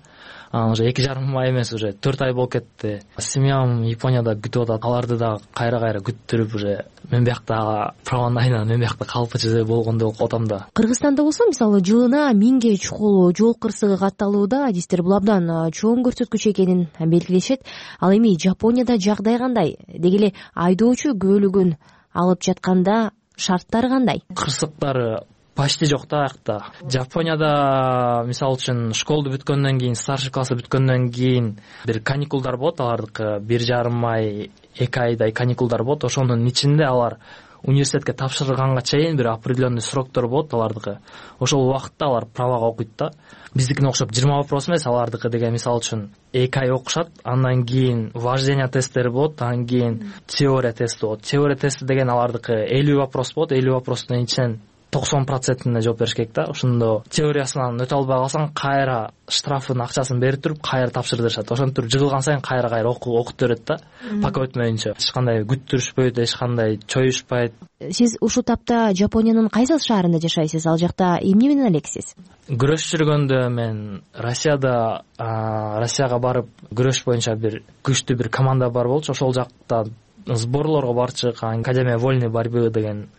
S18: Анан уже 2,5 ай эмес, уже 4 ай болуп кетти. Семьям Японияда күтүп атат. Аларды да кайра күттүрүп, уже мен биякта праваны айынан мен биякта калпычы болгондой болуп атам да.
S17: Кыргызстанда болсо, мисалы, жылына 1000ге чукул жол кырсыгы катталууда, адистер бул абдан чоң көрсөткүч экенин белгилешет. Ал эми Жапонияда жагдай кандай? Деги эле айдоочу күбөлүгүн алып жатканда шарттары кандай?
S18: Кырсыктары почти жок да аякта. Жапонияда мисалы үчүн школду бүткөндөн кийин, старший классы бүткөндөн кийин бир каникулдар болот, алардыкы 1,5 ай, 2 айдай каникулдар болот. Ошонун ичинде алар университетке тапшырганга чейин бир определенный сроктор болот алардыкы. Ошол убакытта алар правага окуйт да. Биздикине окшоп 20 вопрос эмес, алардыкы деген мисалы үчүн 2 ай окушат, андан кийин вождение тесттери болот, андан кийин теория тести болот. Теория тести деген алардыкы 50 вопрос болот, 50 вопростун ичинен 90%-ine жооп бериш керек да. Ошондо теориясынан өтө албай калсаң, кайра штрафын акчасын берип туруп, кайра тапшырдырышат. Ошентип жыгылган сайын кайра окутуп берет да. Пока өтмөйүнчө. Эч кандай күттүрүшпөйт, эч кандай чоюшпайт.
S17: Сиз ушул тапта Жапониянын кайсы шаарында жашайсыз? Ал жакта эмне менен элексиз?
S18: Күрөш жүргөндө мен Россияга барып, күрөш боюнча бир күчтүү бир команда бар болчу. Ошол жакта сборлорго барып чыккан Академия вольной борьбы деген.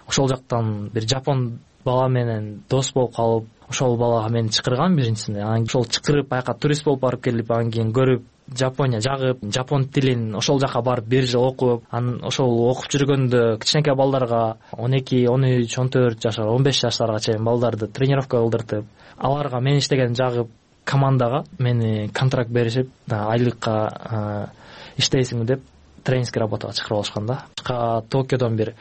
S18: Ошол жактан бир жапон бала менен дос болуп калып, ошол балага мени чакырган биринчисинде. Анан ошол чакырып, аяка турист болуп барып келип, анан кийин көрүп, Жапония жагып, жапон тилин ошол жака барып 1 жыл окуп, анан ошол окуп жүргөндө кичинекей балдарга 12, 13, 14 жашар, 15 жаштарга чейин балдарды тренировка кылдыртып, аларга мен иштеген жагып командага мени контракт беришип, айлыкка иштейсиңби деп тренерский работага чакырып алышкан да. Токиодон бир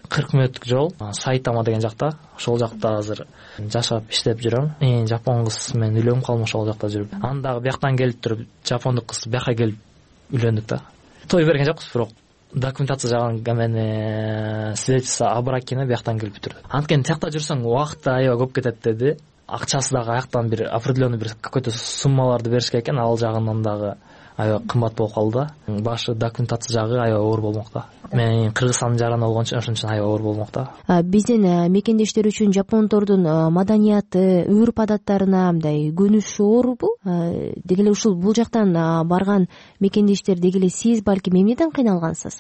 S18: 40 мүнөттүк жол, Сайтама деген жакта. Ошол жакта азыр жашап иштеп жүрөм. Жапон кыз менен үйлөнүп калдым ошол жакта жүрүп. Аны дагы бияктан келип туруп, жапондук кыз бияка келип үйлөндүк да. Той берген жокпуз, бирок документация жаган мени свидетельство о бракине бияктан келип турду. Анткени тиякта жүрсөң убакыт аябай көп кетет деди. Акчасы дагы аяктан бир определенный бир какой-то суммаларды бериш керек экен, ал жагынан дагы аябай кымбат болуп калды да. Башы документация жагы аябай оор болмок да. Мен Кыргызстандын жараны болгон үчүн ошон үчүн аябай оор болмок да.
S17: Биздин мекендештер үчүн жапондордун маданияты, үрп адаттарына мындай көнүш оорбу? Деги эле ушул бул жактан барган мекендештер, деги эле сиз балким эмнеден кыйналгансыз?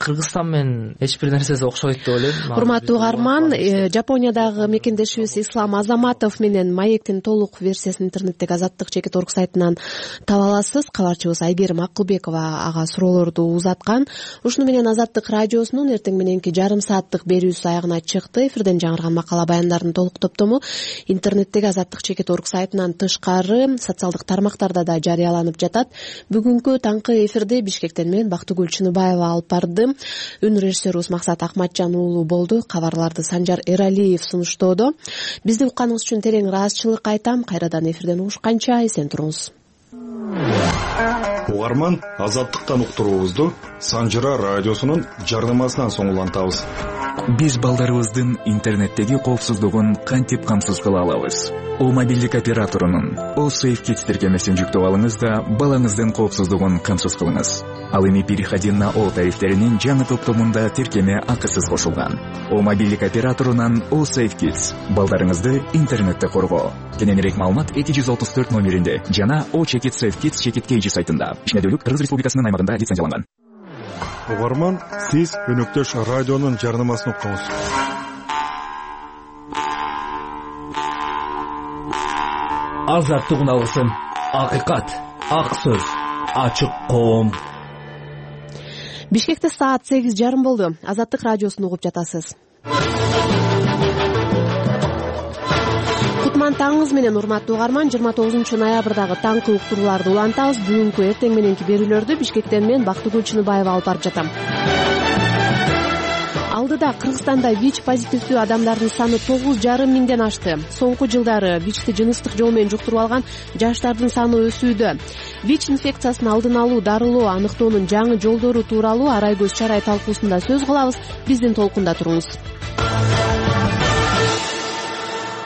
S18: Кыргызстан менен эч бир нерсеси окшобойт деп ойлойм.
S1: Урматтуу каарман, Жапониядагы мекендешибиз Ислам Азаматов менен маектин толук версиясын интернеттеги Азаттык.org сайтынан таба аласыз. Кабарчыбыз Айгерим Акылбекова ага суроолорду узаткан. Ушуну менен Азаттык радиосунун эртең мененки жарым сааттык берүүсү аягына чыкты. Эфирден жаңырган макала баяндардын толук топтому интернеттеги Азаттык.org сайтынан тышкары социалдык тармактарда да жарыяланып жатат. Бүгүнкү таңкы эфирди Бишкектен мен Бактыгүл Чыныбаева алып барды. Үн режиссерубуз Максат Акматжан уулу болду. Кабарларды Санжар Эралиев сунуштоодо. Бизди укканыңыз үчүн терең ыраазычылык айтам. Кайрадан эфирден угушканча эсен туруңуз.
S19: Угарман Азаттыктан уктуруубузду Санжыра радиосунун жардамасынан соң улантабыз.
S20: Биз балдарыбыздын интернеттеги коопсуздугун кантип камсыз кыла алабыз? О мобилдик операторунун О Safe Kids тиркемесин жүктөп алыңыз да балаңыздын коопсуздугун камсыз кылыңыз. Ал эми переходи на О тарифтеринин жаңы топтомунда тиркеме акысыз кошулган. О мобилдик операторунан О Safe Kids балдарыңызды интернетте коргоо. Кененирээк маалымат 234 номеринде жана О Check It Safe Kids Check It KG сайтында. Ишмердүүлүк Кыргыз Республикасынын аймагында лицензияланган.
S19: Угарман, сиз өнөктөш радионун жарнамасын уктуңуз.
S21: Азаттык алсын, акыйкат, ак сөз, ачык коом.
S1: Бишкекте саат 8:30 болду. Азаттык радиосун угуп жатасыз. Кутман таңыңыз менен урматтуу угарман, 29-ноябрдагы таңкы уктурууларды улантабыз. Бүгүнкү эртең мененки берүүлөрдү Бишкектен мен Бактыгүл Чыныбаева алып барып жатам. Алдыда Кыргызстанда ВИЧ позитивдүү адамдардын саны 9,5 миңден ашты. Соңку жылдары ВИЧти жыныстык жол менен жуктуруп алган жаштардын саны өсүүдө. ВИЧ инфекциясын алдын алуу, дарылоо, аныктоонун жаңы жолдору тууралуу Арайгөз Чарай талкуусунда сөз кылабыз. Биздин толкунда туруңуз.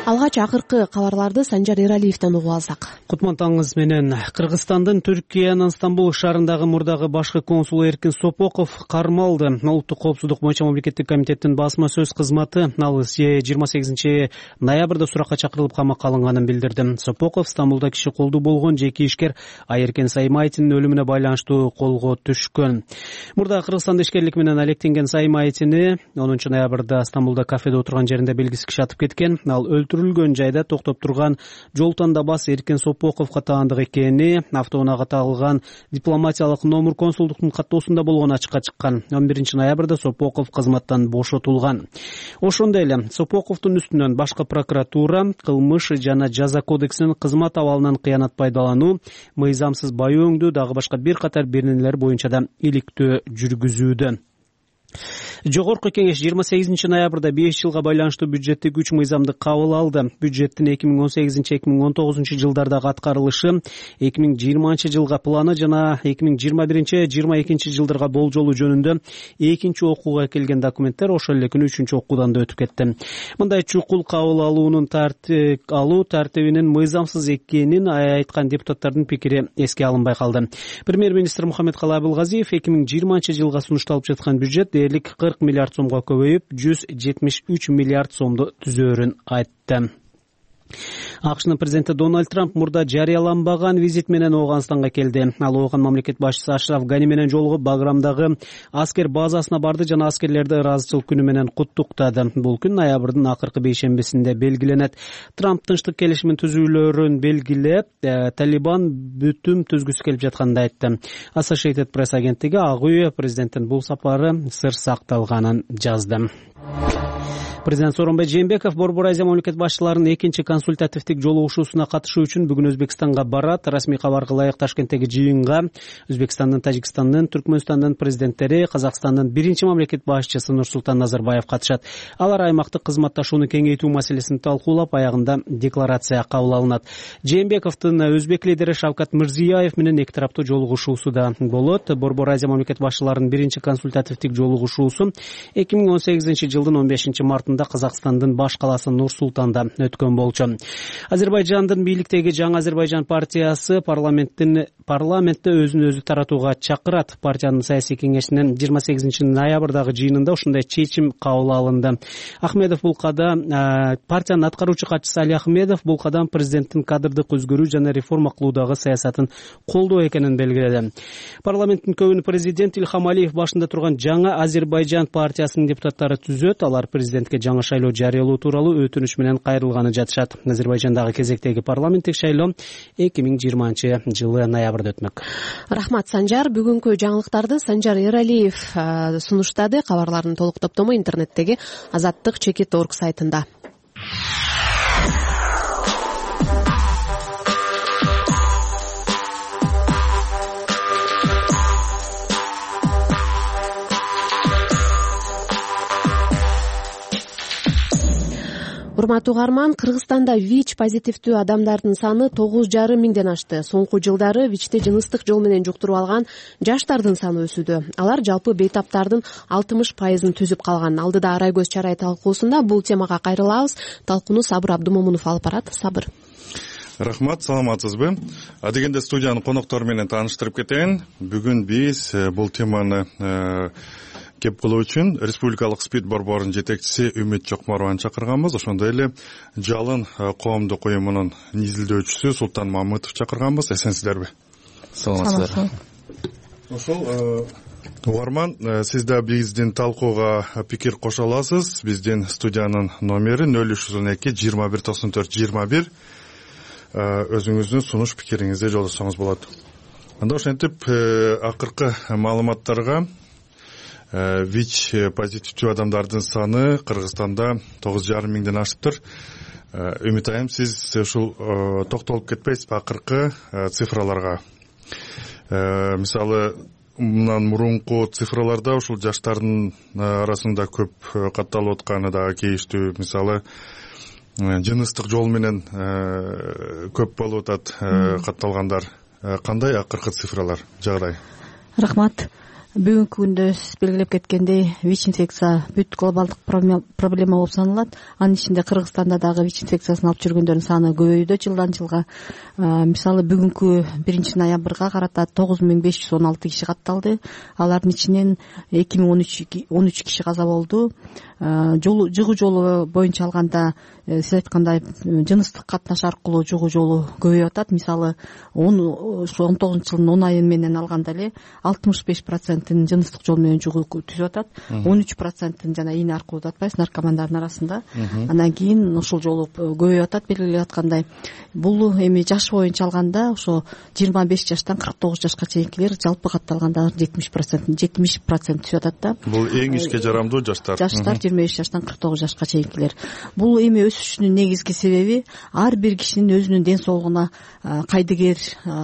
S1: Алгач акыркы кабарларды Санжар Эралиевден угуп алсак.
S3: Кутман таңыңыз менен. Кыргызстандын Түркиянын Стамбул шаарындагы мурдагы башкы консулу Эркин Сопоков кармалды. Улуттук коопсуздук боюнча мамлекеттик комитеттин басма сөз кызматы ал 28-ноябрда суракка чакырылып камакка алынганын билдирди. Сопоков Стамбулда киши колдуу болгон жеке ишкер Айеркен Саймайтинин өлүмүнө байланыштуу колго түшкөн. Мурда Кыргызстанда ишкерлик менен алектенген Саймайтини 10-ноябрда Стамбулда кафеде отурган жеринде белгисиз киши атып кеткен. Ал өлтүрүлгөн жайда токтоп турган жол тандабас Эркин Сопоковго таандык экени автоунаага тагылган дипломатиялык номер консулдуктун каттоосунда болгону ачыкка чыккан. 11-ноябрда Сопоков кызматтан бошотулган. Ошондой эле Сопоковдун үстүнөн башкы прокуратура кылмыш жана жаза кодексинин кызмат абалынан кыянат пайдалануу, мыйзамсыз баю өңдүү дагы башка бир катар беренелер боюнча да иликтөө жүргүзүүдө. Жогорку кеңеш 28-ноябрда 5 жылга байланыштуу бюджеттик 3 мыйзамды кабыл алды. Бюджеттин 2018-2019 жылдардагы аткарылышы, 2020 жылга планы жана 2021-2022 жылдарга болжолу жөнүндө экинчи окууга келген документтер ошол эле күнү 3-чү окуудан да өтүп кетти. Мындай чукул кабыл алуунун тартибинин мыйзамсыз экенин айткан депутаттардын пикири эске алынбай калды. Премьер-министр Мухаммедкалый Абылгазиев 2020 жылга сунушталып жаткан бюджет дээрлик 40 миллиард сомго көбөйүп, 173 миллиард сомду түзөөрүн айтты. АКШнын президенти Дональд Трамп мурда жарыяланбаган визит менен Ооганстанга келди. Ал Ооган мамлекет башчысы Ашраф Гани менен жолугуп Баграмдагы аскер базасына барды жана аскерлерди ыраазычылык күнү менен куттуктады. Бул күн ноябрдын акыркы бейшембисинде белгиленет. Трамп тынчтык келишимин түзүүлөрүн белгилеп, Талибан бүтүм түзгүсү келип жатканын айтты. Associated Press агенттиги Ак үй президенттин бул сапары сыр сакталганын жазды. Президент Сооронбай Жээнбеков Борбор Азия мамлекет башчыларынын экинчи консультативдик жолугушуусуна катышуу үчүн бүгүн Өзбекстанга барат. Расмий кабарга ылайык Ташкенттеги жыйынга Өзбекстандын, Тажикстандын, Түркмөнстандын президенттери, Казакстандын биринчи мамлекет башчысы Нурсултан Назарбаев катышат. Алар аймактык кызматташууну кеңейтүү маселесин талкуулап, аягында декларация кабыл алынат. Жээнбековдун өзбек лидери Шавкат Мирзиёев менен эки тараптуу жолугушуусу да болот. Борбор Азия мамлекет башчыларынын биринчи консультативдик жолугушуусу 2018 жылдын 15 мартында Казакстандын баш каласы Нур-Султанда өткөн болчу. Азербайжандын бийликтеги Жаңы Азербайжан партиясы парламентте өзүн өзү таратууга чакырат. Партиянын саясий кеңешинин 28 ноябрдагы жыйынында ушундай чечим кабыл алынды. Ахмедов бул кадам партиянын аткаруучу катчысы Али Ахмедов бул кадам президенттин кадрдык өзгөрүү жана реформа кылуудагы саясатын колдоо экенин белгиледи. Парламенттин көбүн президент Илхам Алиев башында турган Жаңы Азербайжан партиясынын депутаттары түзөт. Алар президентке жаңы шайлоо жарыялоо тууралуу өтүнүч менен кайрылганы жатышат. Азербайжандагы кезектеги парламенттик шайлоо 2020 жылы ноябрда өтмөк.
S1: Рахмат Санжар. Бүгүнкү жаңылыктарды Санжар Эралиев сунуштады. Кабарлардын толук топтому интернеттеги azattik.org сайтында. урматтуу угарман, Кыргызстанда ВИЧ позитивдүү адамдардын саны 9,5 миңден ашты. Соңку жылдары ВИЧти жыныстык жол менен жуктуруп алган жаштардын саны өсүүдө. Алар жалпы бейтаптардын 60%-ын түзүп калган. Алдыда Арай көз чарай талкуусунда бул темага кайрылабыз. Талкууну Сабыр Абдумомунов алып барат. Сабыр.
S19: Рахмат, саламатсызбы? Адегенде студиянын коноктору менен тааныштырып кетейин. Бүгүн биз бул теманы кеп кылуу үчүн Республикалык СПИД борборунун жетекчиси Үмүт Чокморованы чакырганбыз. Ошондой эле Жалын коомдук уюмунун изилдөөчүсү Султан Мамытов чакырганбыз. Эсенсиздерби?
S12: Саламатсыздар.
S19: Ошол угарман, сиз да биздин талкууга пикир кошо аласыз. Биздин студиянын номери 0312 21 94 21. Өзүңүздүн сунуш пикириңизди жолдосоңуз болот. Анда ошентип акыркы маалыматтарга ВИЧ позитивдүү адамдардын саны Кыргызстанда 9,5 миңден ашыптыр. Үмүт айым, сиз ушул токтолуп кетпейсизби акыркы цифраларга? Мисалы, мындан мурунку цифраларда ушул жаштардын арасында көп катталып атканы дагы кейиштүү. Мисалы, жыныстык жол менен көп болуп атат катталгандар. Кандай акыркы цифралар, жагдай?
S4: Рахмат. Бүгүнкү күндө сиз белгилеп кеткендей, ВИЧ инфекция бүт глобалдык проблема болуп саналат. Анын ичинде Кыргызстанда дагы ВИЧ инфекциясын алып жүргөндөрдүн саны көбөйүүдө жылдан жылга. Мисалы, бүгүнкү 1-ноябрга карата 9516 киши катталды. Алардын ичинен 2013 киши каза болду. Жугуу жолу боюнча алганда, сиз айткандай, жыныстык катнаш аркылуу жугуу жолу көбөйүп атат. Мисалы, 19-жылдын 10 айы менен алганда эле 65%-ын жыныстык жол менен жугуу түзүп атат. 13%-ын жана ийне аркылуу деп атпайбыз, наркомандардын арасында. Андан кийин ушул жолу көбөйүп атат, белгилеп аткандай. Бул эми жаш боюнча алганда, ошо 25 жаштан 49 жашка чейинкилер жалпы катталганда 70% түзүп атат да.
S19: Бул эң ишке жарамдуу жаштар.
S4: Жаштар 25 жаштан 49 жашка чейинкилер. Бул эми өсүшүнүн негизги себеби ар бир кишинин өзүнүн ден соолугуна кайдыгер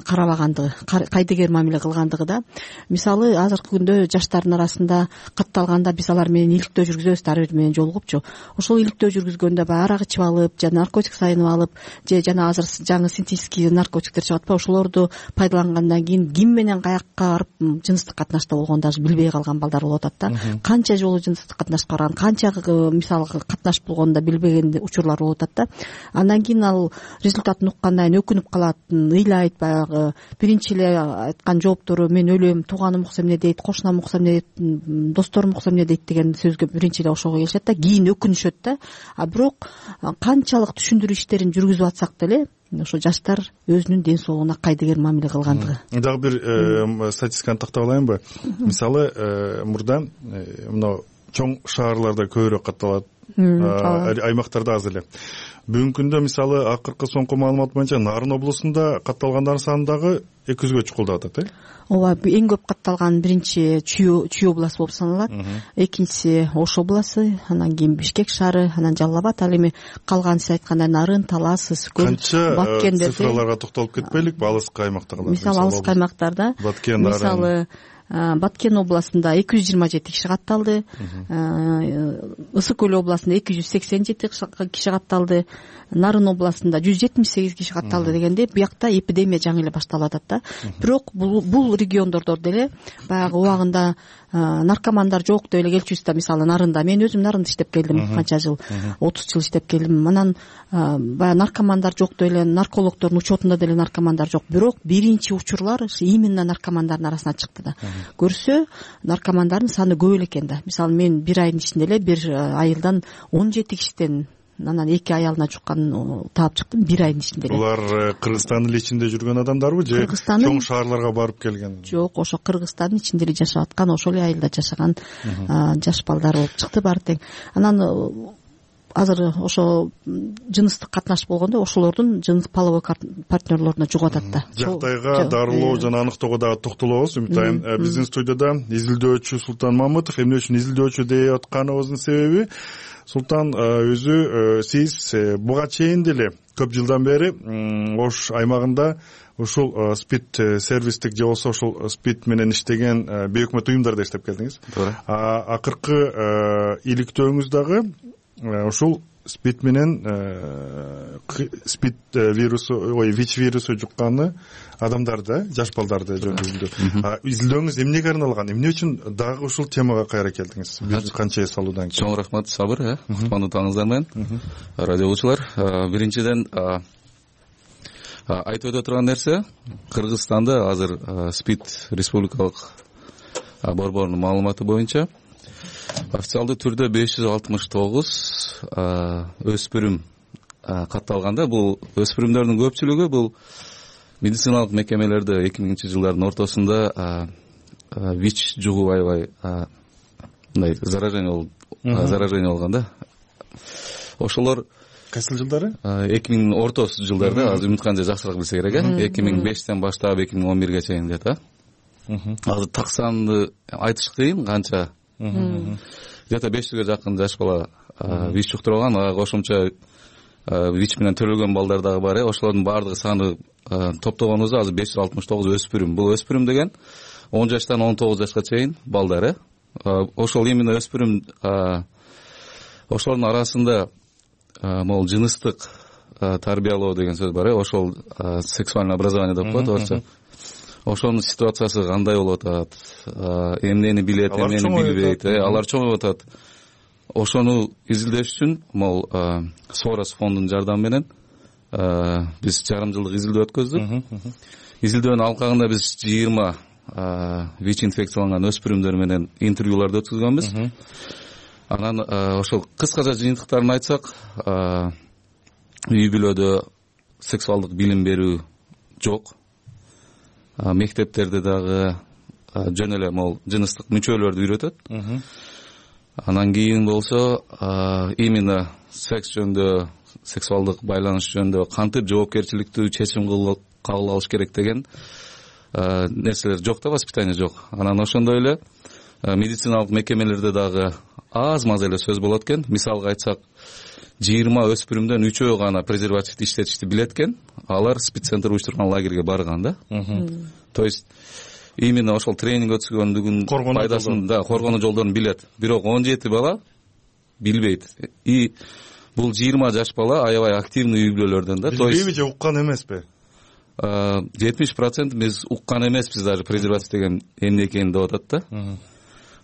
S4: карабагандыгы, кайдыгер мамиле кылгандыгы да. Мисалы, азыркы күндө жаштардын арасында катталганда биз алар менен иликтөө жүргүзөбүз, ар бир менен жолугупчу. Ошол иликтөө жүргүзгөндө баягы арак ичип алып, же наркотик сайынып алып, же жана азыр жаңы синтетический наркотиктер чыгып атпайбы, ошолорду пайдалангандан кийин ким менен каякка барып жыныстык катнашта болгонун даже билбей калган балдар болуп атат да. Канча жолу жыныстык катнашка барган, канча мисалы катнаш болгонун да билбеген учурлар болуп атат да. Андан кийин ал результатын уккандан кийин өкүнүп калат, ыйлайт, баягы биринчи эле айткан жооптору мен өлөм, тууганым укса эмне дейт, кошунам укса эмне дейт, досторум укса эмне дейт деген сөзгө биринчи эле ошого келишет да, кийин өкүнүшөт да. А бирок канчалык түшүндүрүү иштерин жүргүзүп атсак деле, ошо жаштар өзүнүн ден соолугуна кайдыгер мамиле кылгандыгы.
S19: Дагы бир статистиканы тактап алайынбы? Мисалы, мурда мына чоң шаарларда көбүрөөк катталат, аймактарда аз эле. Бүгүнкү күндө мисалы акыркы соңку маалымат боюнча Нарын облусунда катталгандардын саны дагы 200гө чукулдап атат,
S4: Ооба, эң көп катталган биринчи Чүй областы болуп саналат. Экинчиси Ош областы, анан кийин Бишкек шаары, анан Жалал Абад, ал эми калган сиз айткандай Нарын, Талас, Ысыкөл,
S19: Баткен цифраларга токтолуп кетпейликпи? Алыскы аймактагылар.
S4: Мисалы алыскы аймактарда, мисалы Баткен областында 227 киши катталды, Ысыкөл областында 287 киши катталды, Нарын областында 178 киши катталды дегенде, буякта эпидемия жаңы эле башталып атат да. Бирок бул региондордо деле баягы убагында наркомандар жок деп эле келчүбүз да. Мисалы, Нарында, мен өзүм Нарында иштеп келдим, канча жыл, 30 жыл иштеп келдим. Анан баягы наркомандар жок деп эле, наркологдордун учетунда деле наркомандар жок. Бирок биринчи учурлар именно наркомандардын арасынан чыкты да. Көрсө, наркомандардын саны көп эле экен да. Мисалы, мен бир айдын ичинде эле бир айылдан 17 кишиден, анан 2 аялына жуккан таап чыктым бир айдын ичинде эле.
S19: Булар Кыргызстандын ичинде жүргөн адамдарбы же чоң шаарларга барып келген?
S4: Жок, ошо Кыргызстандын ичинде эле жашап аткан, ошол эле айылда жашаган жаш балдар болуп чыкты баары тең. Анан азыр ошо жыныстык катнаш болгондо ошолордун жыныс половой партнерлоруна жугуп атат да.
S19: Жактайга дарылоо жана аныктоого дагы токтолобуз. Үмүт айым, биздин студияда изилдөөчү Султан Мамытов. Эмне үчүн изилдөөчү деп атканыбыздын себеби, Султан өзү, сиз буга чейин деле көп жылдан бери Ош аймагында ушул СПИД сервистик же болбосо ушул СПИД менен иштеген бейөкмөт уюмдарда иштеп келдиңиз. Акыркы иликтөөңүз дагы ушул спид менен спид вирусу ВИЧ вирусу жукканы адамдарды, жаш балдарды жөнүндө изилдөөңүз эмнеге арналган, эмне үчүн дагы ушул темага кайра келдиңиз бир канча салуудан кийин?
S5: Чоң рахмат, Сабыр, кутмандуу таңыңыздар менен радио угуучулар. Биринчиден айтып өтө турган нерсе, Кыргызстанда азыр спид республикалык борборунун маалыматы боюнча официалдуу түрдө 569 өспүрүм катталганда. Бул өспүрүмдөрдүн көпчүлүгү бул медициналык мекемелерде 2000-жылдардын ортосунда ВИЧ жугуп аябай мындай заражение болгон да. Ошолор
S19: кайсы жылдары?
S5: 2000 ортосу жылдарда, азыр Үмүткан жакшыраак билсе керек, 2005тен баштап 2011ге чейин дейт. Азыр так санды айтыш кыйын, канча где-то 500ге жакын жаш бала ВИЧ жуктурган, кошумча ВИЧ менен төрөлгөн балдар дагы бар. Ошолордун баардыгы саны топтогонубузда азыр 569 өспүрүм. Бул өспүрүм деген 10 жаштан 19 жашка чейин балдар. Ошол именно өспүрүм, ошолордун арасында могул жыныстык тарбиялоо деген сөз бар. Ошол сексуальное образование деп коет орусча. Ошонун ситуациясы кандай болуп атат, эмнени билет, эмнени билбейт, алар чоңоюп атат. Ошону изилдеш үчүн могул Сорос фондунун жардамы менен биз жарым жылдык изилдөө өткөздүк. Изилдөөнүн алкагында биз 20 ВИЧ инфекцияланган өспүрүмдөр менен интервьюларды өткөзгөнбүз. Анан ошол кыскача жыйынтыктарын айтсак, үй бүлөдө сексуалдык билим берүү жок. Мектептерде дагы жөн эле могул жыныстык мүчөлөрдү үйрөтөт. Анан кийин болсо именно секс жөнүндө, сексуалдык байланыш жөнүндө кантип жоопкерчиликтүү чечим кабыл алыш керек деген нерселер жок да, воспитание жок. Анан ошондой эле медициналык мекемелерде дагы аз маз эле сөз болот экен. Мисалга айтсак, 20 өспүрүмдөн 3-өө гана презервативди иштетишти билет экен. Алар спид-центр уюштурган лагерге барган да. То есть именно ошол тренинг өткізгөндүгүн пайдасын, да, коргонуу жолдорун билет. Бирок 17 бала билбейт. И бул 20 жаш бала аябай активный үй бүлөлөрдөн да.
S19: Билбейби же уккан эмеспи?
S5: 70% биз уккан эмеспиз, даже презерватив деген эмне экенин деп атат да.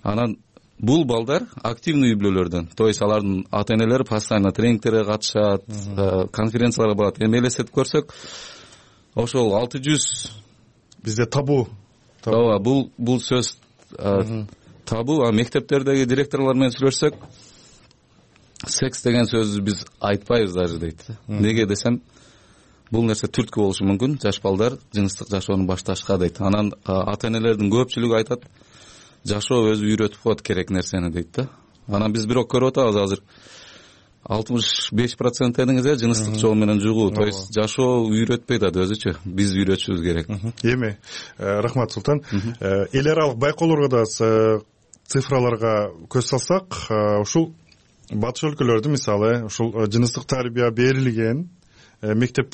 S5: Анан бул балдар активный үй бүлөлөрдөн. То есть алардын ата-энелери постоянно тренингтерге катышат, конференцияларга барат. Эми элестетип көрсөк, ошол 600
S19: бизде табу.
S5: Ооба, бул сөз табу. Мектептердеги директорлор менен сүйлөшсөк, секс деген сөздү биз айтпайбыз даже дейт. Неге десем, бул нерсе түрткү болушу мүмкүн, жаш балдар жыныстык жашоону башташка дейт. Анан ата-энелердин көпчүлүгү айтат, жашоо өзү үйрөтүп коет керек нерсени дейт да. Анан биз бирок көрүп атабыз азыр 65% дедиңиз, жыныстык жол менен жугуу. То есть жашоо үйрөтпөйт да өзүчө. Биз үйрөтүшүбүз керек.
S19: Эми рахмат Султан. Эл аралык байкоолорго да цифраларга көз салсак, ушул батыш өлкөлөрдө мисалы ушул жыныстык тарбия берилген мектеп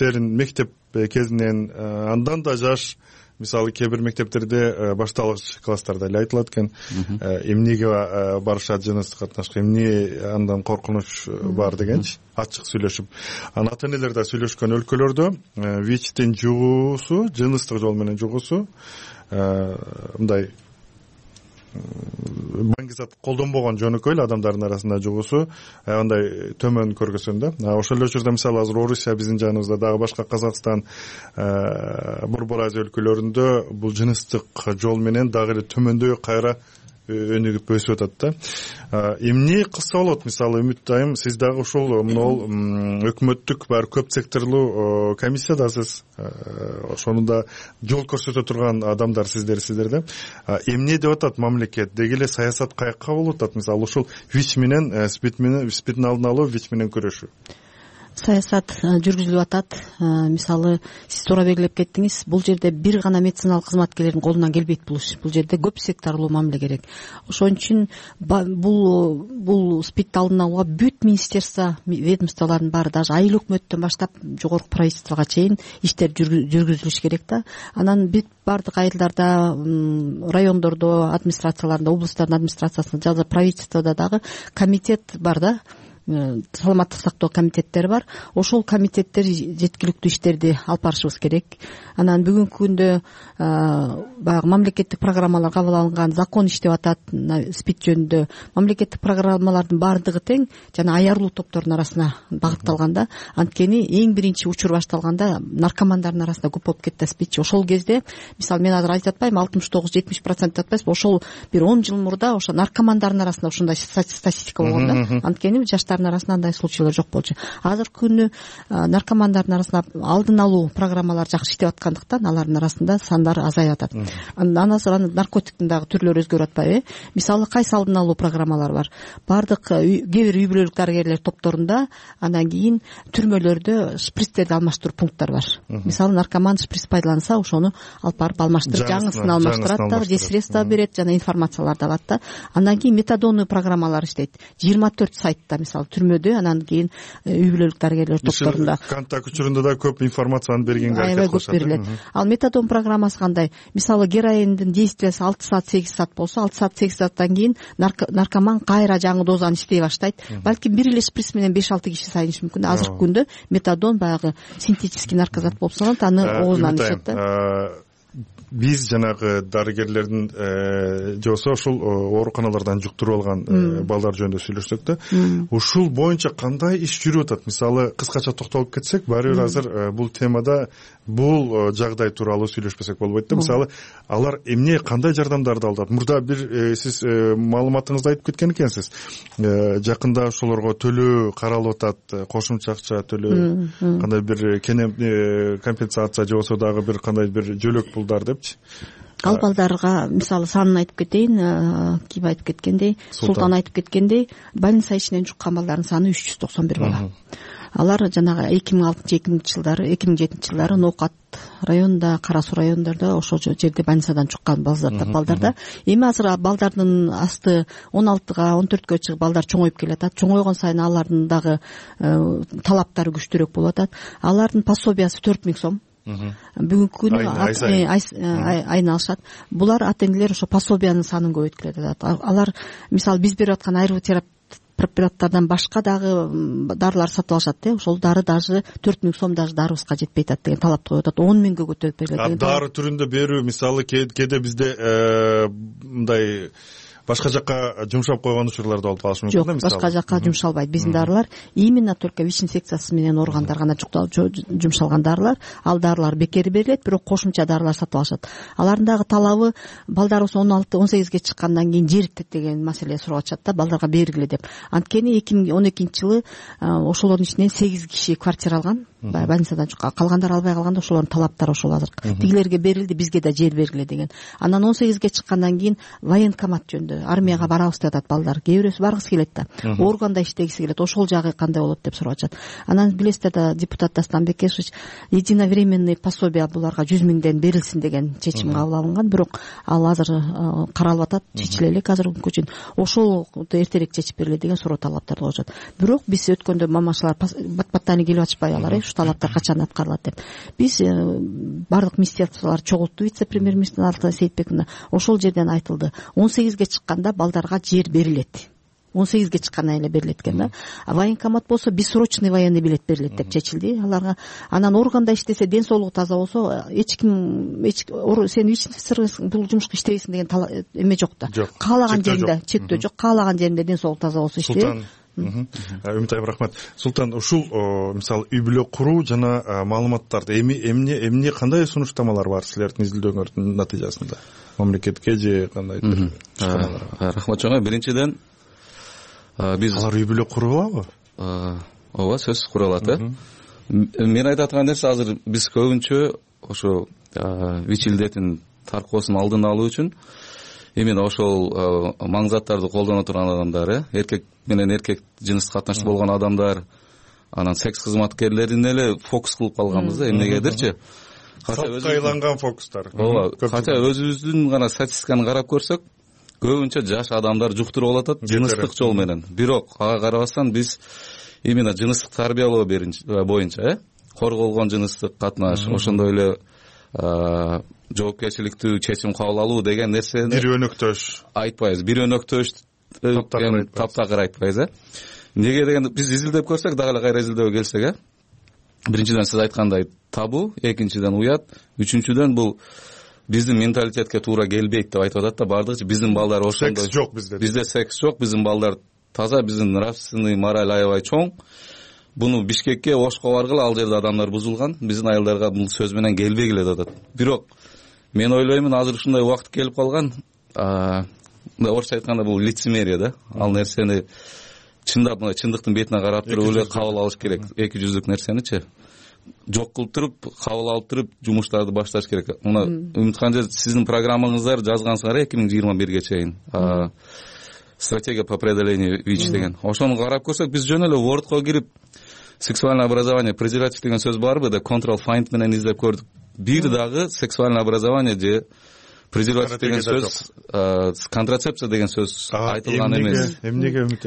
S19: кезинен андан да жаш, мисалы кээ бир мектептерде башталгыч класстарда эле айтылат экен, эмнеге барышат жыныстык катнашка, эмне андан коркунуч бар дегенчи, ачык сүйлөшүп. Анан ата-энелер да сүйлөшкөн өлкөлөрдө ВИЧтин жугуусу, жыныстык жол менен жугуусу мындай баңгизат колдонбогон, жөнөкөй эле адамдардын арасында жугуусу андай төмөн көргөзгөн да. Ошол эле учурда мисалы азыр Орусия, биздин жаныбызда, дагы башка Казакстан, Борбор Азия өлкөлөрүндө бул жыныстык жол менен дагы эле төмөндөй кайра өнүгүп өсүп атат да. Эмне кылса болот? Мисалы Үмүт айым, сиз дагы ушул могул өкмөттүк бар көп секторлуу комиссиядасыз. Ошону да жол көрсөтө турган адамдар сиздерде. Эмне деп атат мамлекет? Деги эле саясат каяка болуп атат? Мисалы ушул ВИЧ менен спидтин алдын алуу, ВИЧ менен күрөшүү.
S4: Саясат жүргүзүлүп атат. Мисалы сиз туура белгилеп кеттиңиз, бул жерде бир гана медициналык кызматкерлердин колунан келбейт бул иш. Бул жерде көп секторлуу мамиле керек. Ошон үчүн бул спидти алдын алууга бүт министерство, ведомстволордун баары, даже айыл өкмөттөн баштап жогорку правительствого чейин иштер жүргүзүлүш керек да. Анан бүт бардык айылдарда, райондордо, администрацияларында, облусттардын администрациясында, жана правительстводо дагы комитет бар да. саламаттык сактоо комитеттери бар. Ошол комитеттер жеткиликтүү иштерди алып барышыбыз керек. Анан бүгүнкү күндө баягы мамлекеттик программалар кабыл алынган, закон иштеп атат СПИД жөнүндө. Мамлекеттик программалардын баардыгы тең жана аярлуу топтордун арасына багытталган да. Анткени эң биринчи учур башталганда наркомандардын арасында көп болуп кетти СПИД. Ошол кезде мисалы мен азыр айтып атпайм, 69-70% атпайбызбы, ошол бир 10 жыл мурда ошо наркомандардын арасында ушундай статистика болгон да. Анткени жаштардын арасында андай случайлар жок болчу. Азыркы күнү наркомандардын арасында алдын алуу программалары жакшы иштеп аткандыктан алардын арасында сандар азайып атат. Андан соң наркотиктин дагы түрлөрү өзгөрүп атпайбы? Мисалы кайсы алдын алуу программалар бар? Бардык кээ бир үй бүлөлүк дарыгерлер топторунда, андан кийин түрмөлөрдө шприцтерди алмаштыруу пункттары бар. Мисалы наркоман шприц пайдаланса, ошону алып барып алмаштырып, жаңысын алмаштырат да, же средства берет, жана информацияларды алат да. Андан кийин метадондуу программалар иштейт. 24 сайтта мисалы түрмөдө, анан кийин үй бүлөлүк дарыгерлер топторунда.
S19: Контакт учурунда да көп информацияны бергенге аракет кылышат.
S4: Көп берилет. Ал метадон программасы кандай? Мисалы героиндин действиясы 6 саат 8 саат болсо, 6 саат 8 сааттан кийин наркоман кайра жаңы дозаны иштей баштайт. Балким бир эле шприц менен 5-6 киши сайынышы мүмкүн. Азыркы күндө метадон баягы синтетический наркозат болуп саналат, аны оозунан ичет да.
S19: Биз жанагы дарыгерлердин же болбосо ошол ооруканалардан жуктуруп алган балдар жөнүндө сүйлөшсөк да, ушул боюнча кандай иш жүрүп атат? Мисалы кыскача токтолуп кетсек, баары бир азыр бул темада бул жагдай тууралуу сүйлөшпөсөк болбойт да. Мисалы алар эмне, кандай жардамдарды алып атат? Мурда бир сиз маалыматыңызды айтып кеткен экенсиз. Жакында ошолорго төлөө каралып атат, кошумча акча төлөө, кандай бир компенсация же болбосо дагы бир кандай бир жөлөк пулдар деп.
S4: Ал балдарга мисалы санын айтып кетейин, ким айтып кеткендей, Султан айтып кеткендей, больница ичинен жуккан балдардын саны 391 бала. Алар жанагы 2006-2007 жылдары Ноокат районунда, Кара Суу райондордо ошол жерде больницадан чуккан балдарда. Эми азыр балдардын асты 16-га, 14-кө чыгып балдар чоңоюп келатат. Чоңойгон сайын алардын дагы талаптары күчтүүрөөк болуп атат. Алардын пособиясы 4000 сом. Бүгүнкү күнү айына алышат. Булар ата-энелер ошо пособиянын санын көбөйткүлөт атат. Алар мисалы биз берип аткан аэротерапия препараттардан башка дагы дарылар сатып алышат. Ошол дары даже 4000 сом даже дарыбызга жетпей атат деген талапты коюп атат. 10 миңге көтөрүп берилет деген.
S19: Дары түрүндө берүү мисалы кээде бизде мындай башка жакка жумшап койгон учурлар да болуп калышы мүмкүн да.
S4: Мисалы башка жакка жумшалбайт. Биздин дарылар именно только ВИЧ инфекциясы менен ооругандар гана жумшалган дарылар. Ал дарылар бекер берилет, бирок кошумча дарылар сатып алышат. Алардын дагы талабы балдарыбыз 16-18ге чыккандан кийин жер деген маселе сурап атышат да, балдарга бергиле деп. Анткени 2012-жылы ошолордун ичинен 8 киши квартира алган. Больницадан чыккан, калгандар албай калганда ошолордун талаптары ошол азыр. Тигилерге берилди, бизге да жер бергиле деген. Анан 18ге чыккандан кийин военкомат жөнүндө армияга барабыз деп атат балдар. Кээ бирөөсү баргысы келет да. Органда иштегиси келет. Ошол жагы кандай болот деп сурап атышат. Анан билесиздер да, депутат Дастан Бекешевич единовременный пособие буларга 100 миңден берилсин деген чечим кабыл алынган. Бирок ал азыр каралып атат, чечиле элек азыркы күнгө чейин. Ошол эртерээк чечип бериле деген суроо талаптарды коюшат. Бирок биз өткөндө мамашалар бат-баттан келип атышпай алар, ушу талаптар качан аткарылат деп. Биз бардык министрликтер чогултту, вице-премьер-министр Алтынай Сейитбековна. Ошол жерден айтылды. 18ге чыкканда балдарга жер берилет. 18ге чыккандан эле берилет экен да. Военкомат болсо бессрочный военный билет берилет деп чечилди аларга. Анан органда иштесе, ден соолугу таза болсо, эч ким сен ВИЧ-инфекциясың, бул жумушка иштебейсиң деген эме жок да. Каалаган жеринде чектөө жок, каалаган жеринде ден соолугу таза болсо иштейт.
S19: Үмүт айым, рахмат. Султан, ушул мисалы үй бүлө куруу жана маалыматтарды эмне кандай сунуштамалар бар силердин изилдөөңөрдүн натыйжасында? Мамлекетке же кандайдыр?
S5: Рахмат чоңой. Биринчиден биз
S19: алар үй бүлө куруп алабы?
S5: Ооба, сөзсүз кура алат. Мен айтып аткан нерсе, азыр биз көбүнчө ошо ВИЧ илдетин таркоосун алдын алуу үчүн именно ошол маңзаттарды колдоно турган адамдар, эркек менен эркек жыныстык катнашта болгон адамдар, анан секс кызматкерлерин эле фокус кылып калганбыз да, эмнегедирчи.
S19: Салтка айланган фокустар.
S5: Ооба, кача өзүбүздүн гана статистиканы карап көрсөк, көбүнчө жаш адамдар жуктуруп алатат жыныстык жол менен. Бирок ага карабастан биз именно жыныстык тарбиялоо боюнча, корголгон жыныстык катнаш, ошондой эле жоопкерчиликтүү чечим кабыл алуу деген нерсени
S19: бир өнөктөш
S5: айтпайбыз. Бир өнөктөш таптакыр айтпайбыз. Неге дегенде биз изилдеп көрсөк дагы эле кайра изилдөөгө келсек, биринчиден сиз айткандай табу, экинчиден уят, үчүнчүдөн бул биздин менталитетке туура келбейт деп айтып атат да баардыгы. Биздин балдар ошондой.
S19: Секс жок бизде.
S5: Бизде секс жок, биздин балдар таза, биздин нравственный мораль аябай чоң. Буну Бишкекке, Ошко баргыла, ал жерде адамдар бузулган. Биздин айылдарга бул сөз менен келбегиле деп атат. Бирок мен ойлоймун, азыр ушундай убакыт келип калган. Орусча айтканда бул лицемерие да. Ал нерсени чындап мына чындыктын бетине карап туруп эле кабыл алыш керек. Эки жүздүк нерсеничи жок кылып туруп, кабыл алып туруп жумуштарды башташ керек. Мына Үмүткан, сиздин программаңыздар жазгансыңар 2021ге чейин. Стратегия по преодолению ВИЧ деген. Ошону карап көрсөк, биз жөн эле Word'ко кирип сексуальное образование, презерватив деген сөз барбы да, control find менен издеп көрдүк. Бир дагы сексуальное образование же презерватив деген сөз, контрацепция деген сөз айтылган эмес.
S19: Эмнеге Үмүт?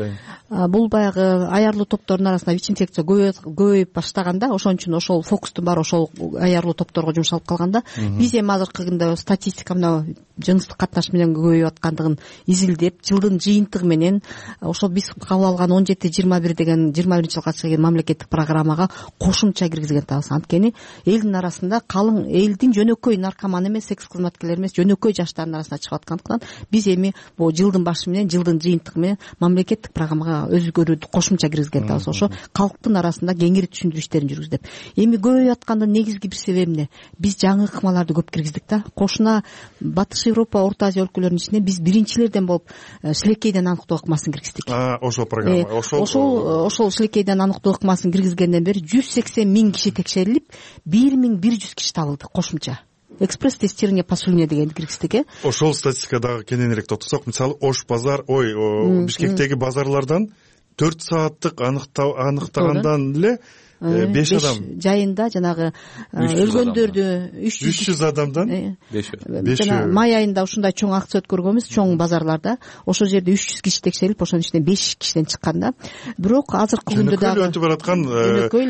S4: Бул баягы аярлуу топтордун арасында ВИЧ инфекция көбөйүп баштаганда, ошон үчүн ошол фокустун баары ошол аярлуу топторго жумшалып калганда, биз эми азыркы күндө статистика мына жыныстык катнаш менен көбөйүп аткандыгын изилдеп, жылдын жыйынтыгы менен ошол биз кабыл алган 17-21 деген 21-жылга чейин мамлекеттик программага кошумча киргизген атабыз. Анткени элдин арасында калың, элдин жөнөкөй наркоман эмес, секс кызматкерлер эмес, жөнөкөй жаштардын арасына чыгып аткандыктан биз эми бул жылдын башы менен, жылдын жыйынтыгы менен мамлекеттик программага өзгөрүүдү кошумча киргизген атабыз. Ошо калктын арасында кеңири түшүндүрүү иштерин жүргүзүп. Эми көбөйүп аткандын негизги бир себеби эмне? Биз жаңы ыкмаларды көп киргиздик да. Кошуна Батыш Европа, Орто Азия өлкөлөрүнүн ичинде биз биринчилерден болуп шилекейден аныктоо ыкмасын киргиздик.
S19: Ошол программа,
S4: ошол шилекейден аныктоо ыкмасын киргизгенден бери 180 000 киши текшерилип, 1100 киши табылды кошумча. Экспресс тестирование по слюне дегенди киргиздик.
S19: Ошол статистикага дагы кененирээк токтосок, мисалы Ош базар, Бишкектеги базарлардан 4 сааттык аныктагандан эле 5 адам
S4: жайында жанагы өлгөндөрдү
S19: 300 адамдан
S4: 5 май айында ушундай чоң акция өткөргөнбүз, чоң базарларда. Ошол жерде 300 киши текшерилип, ошонун ичинде 5 кишиден чыккан да. Бирок азыркы күндө дагы
S19: өтүп бараткан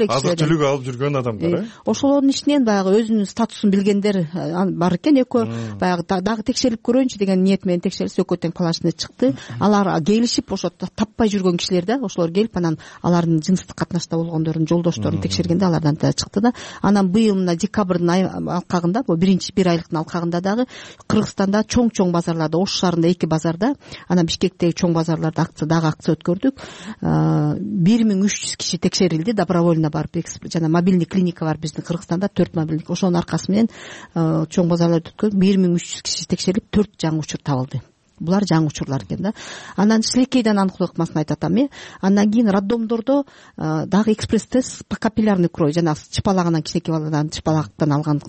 S19: азык түлүк алып жүргөн адамдар.
S4: Ошолордун ичинен баягы өзүнүн статусун билгендер бар экен. Экөө баягы дагы текшерип көрөйүнчү деген ниет менен текшерилсе, экөө тең планшасына чыкты. Алар келишип, ошо таппай жүргөн кишилер да, ошолор келип анан алардын жыныстык катнашта болгондорун жолдошторун текшергенде алардан да чыкты да. Анан быйыл мына декабрдын алкагында, бул биринчи бир айлыктын алкагында дагы Кыргызстанда чоң базарларда, Ош шаарында 2 базарда, анан Бишкектеги чоң базарларда акция өткөрдүк. 1300 киши текшерилди, добровольно барып, жана мобильный клиника бар биздин Кыргызстанда, 4 мобильный. Ошонун аркасы менен чоң базарларды өткөрүп 1300 киши текшерилип, 4 жаңы учур табылды. Булар жаңы учурлар экен да. Анан шилекейден аныктоо ыкмасын айтып атам. Андан кийин роддомдордо дагы экспресс тест по капиллярной крови, жана чыпалагандан, кичинекей баладан чыпалактан алган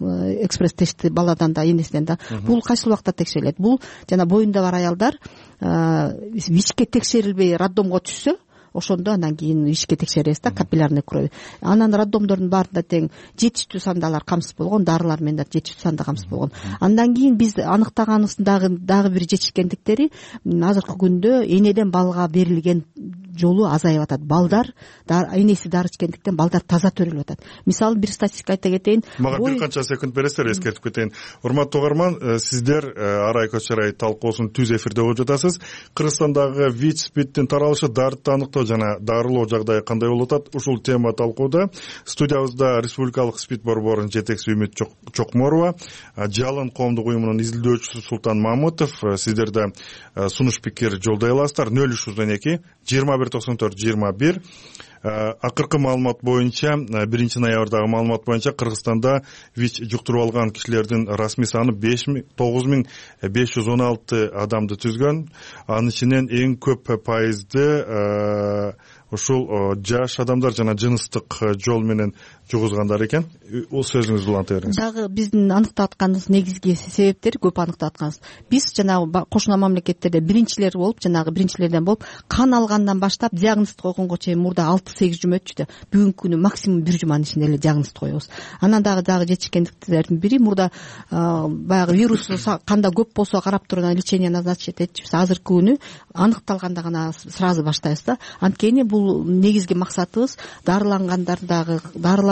S4: экспресс тестти баладан да, энесинен да. Бул кайсыл убакта текшерилет? Бул жана боюнда бар аялдар ВИЧке текшерилбей роддомго түшсө, ошондо андан кийин ишке текшеребиз да, капиллярный крови. Анан роддомдордун баарында тең жетиштүү санда алар камсыз болгон, дарылар менен да жетиштүү санда камсыз болгон. Андан кийин биз аныктаганыбыздын дагы бир жетишкендиктери, азыркы күндө энеден балга берилген жолу азайып атат. Балдар энеси дары ичкендиктен балдар таза төрөлүп атат. Мисалы бир статистика айта кетейин.
S19: Мага бир канча секунд бересиздер, эскертип кетейин. Урматтуу угарман, сиздер Арай Көчөрай талкуусун түз эфирде угуп жатасыз. Кыргызстандагы ВИЧ-спидтин таралышы, дартты аныктоо жана дарылоо жагдайы кандай болуп атат? Ушул тема талкууда. Студиябызда Республикалык СПИД борборунун жетекчиси Үмүт Чокморова, Жалын коомдук уюмунун изилдөөчүсү Султан Мамытов. Сиздер да сунуш пикир жолдой аласыздар. 0312 2194-21. Акыркы маалымат боюнча, 1-ноябрдагы маалымат боюнча Кыргызстанда ВИЧ жуктуруп алган кишилердин расмий саны 9516 адамды түзгөн. Анын ичинен эң көп пайызды ушул жаш адамдар жана жыныстык жол менен жугузгандар экен. Ол сөзүңүздү уланта бериңиз.
S4: Дагы биздин аныктап атканыбыз негизги себептери көп аныктап атканбыз. Биз жанагы кошуна мамлекеттерде биринчилер болуп, жанагы биринчилерден болуп, кан алгандан баштап диагноз койгонго чейин мурда 6-8 жума өтчү да. Бүгүнкү күнү максимум 1 жуманын ичинде эле диагноз коебуз. Анан дагы жетишкендиктердин бири мурда баягы вирус канда көп болсо карап туруп лечение назначить этчүбүз. Азыркы күнү аныкталганда гана сразу баштайбыз да. Анткени бул негизги максатыбыз дарылангандардагы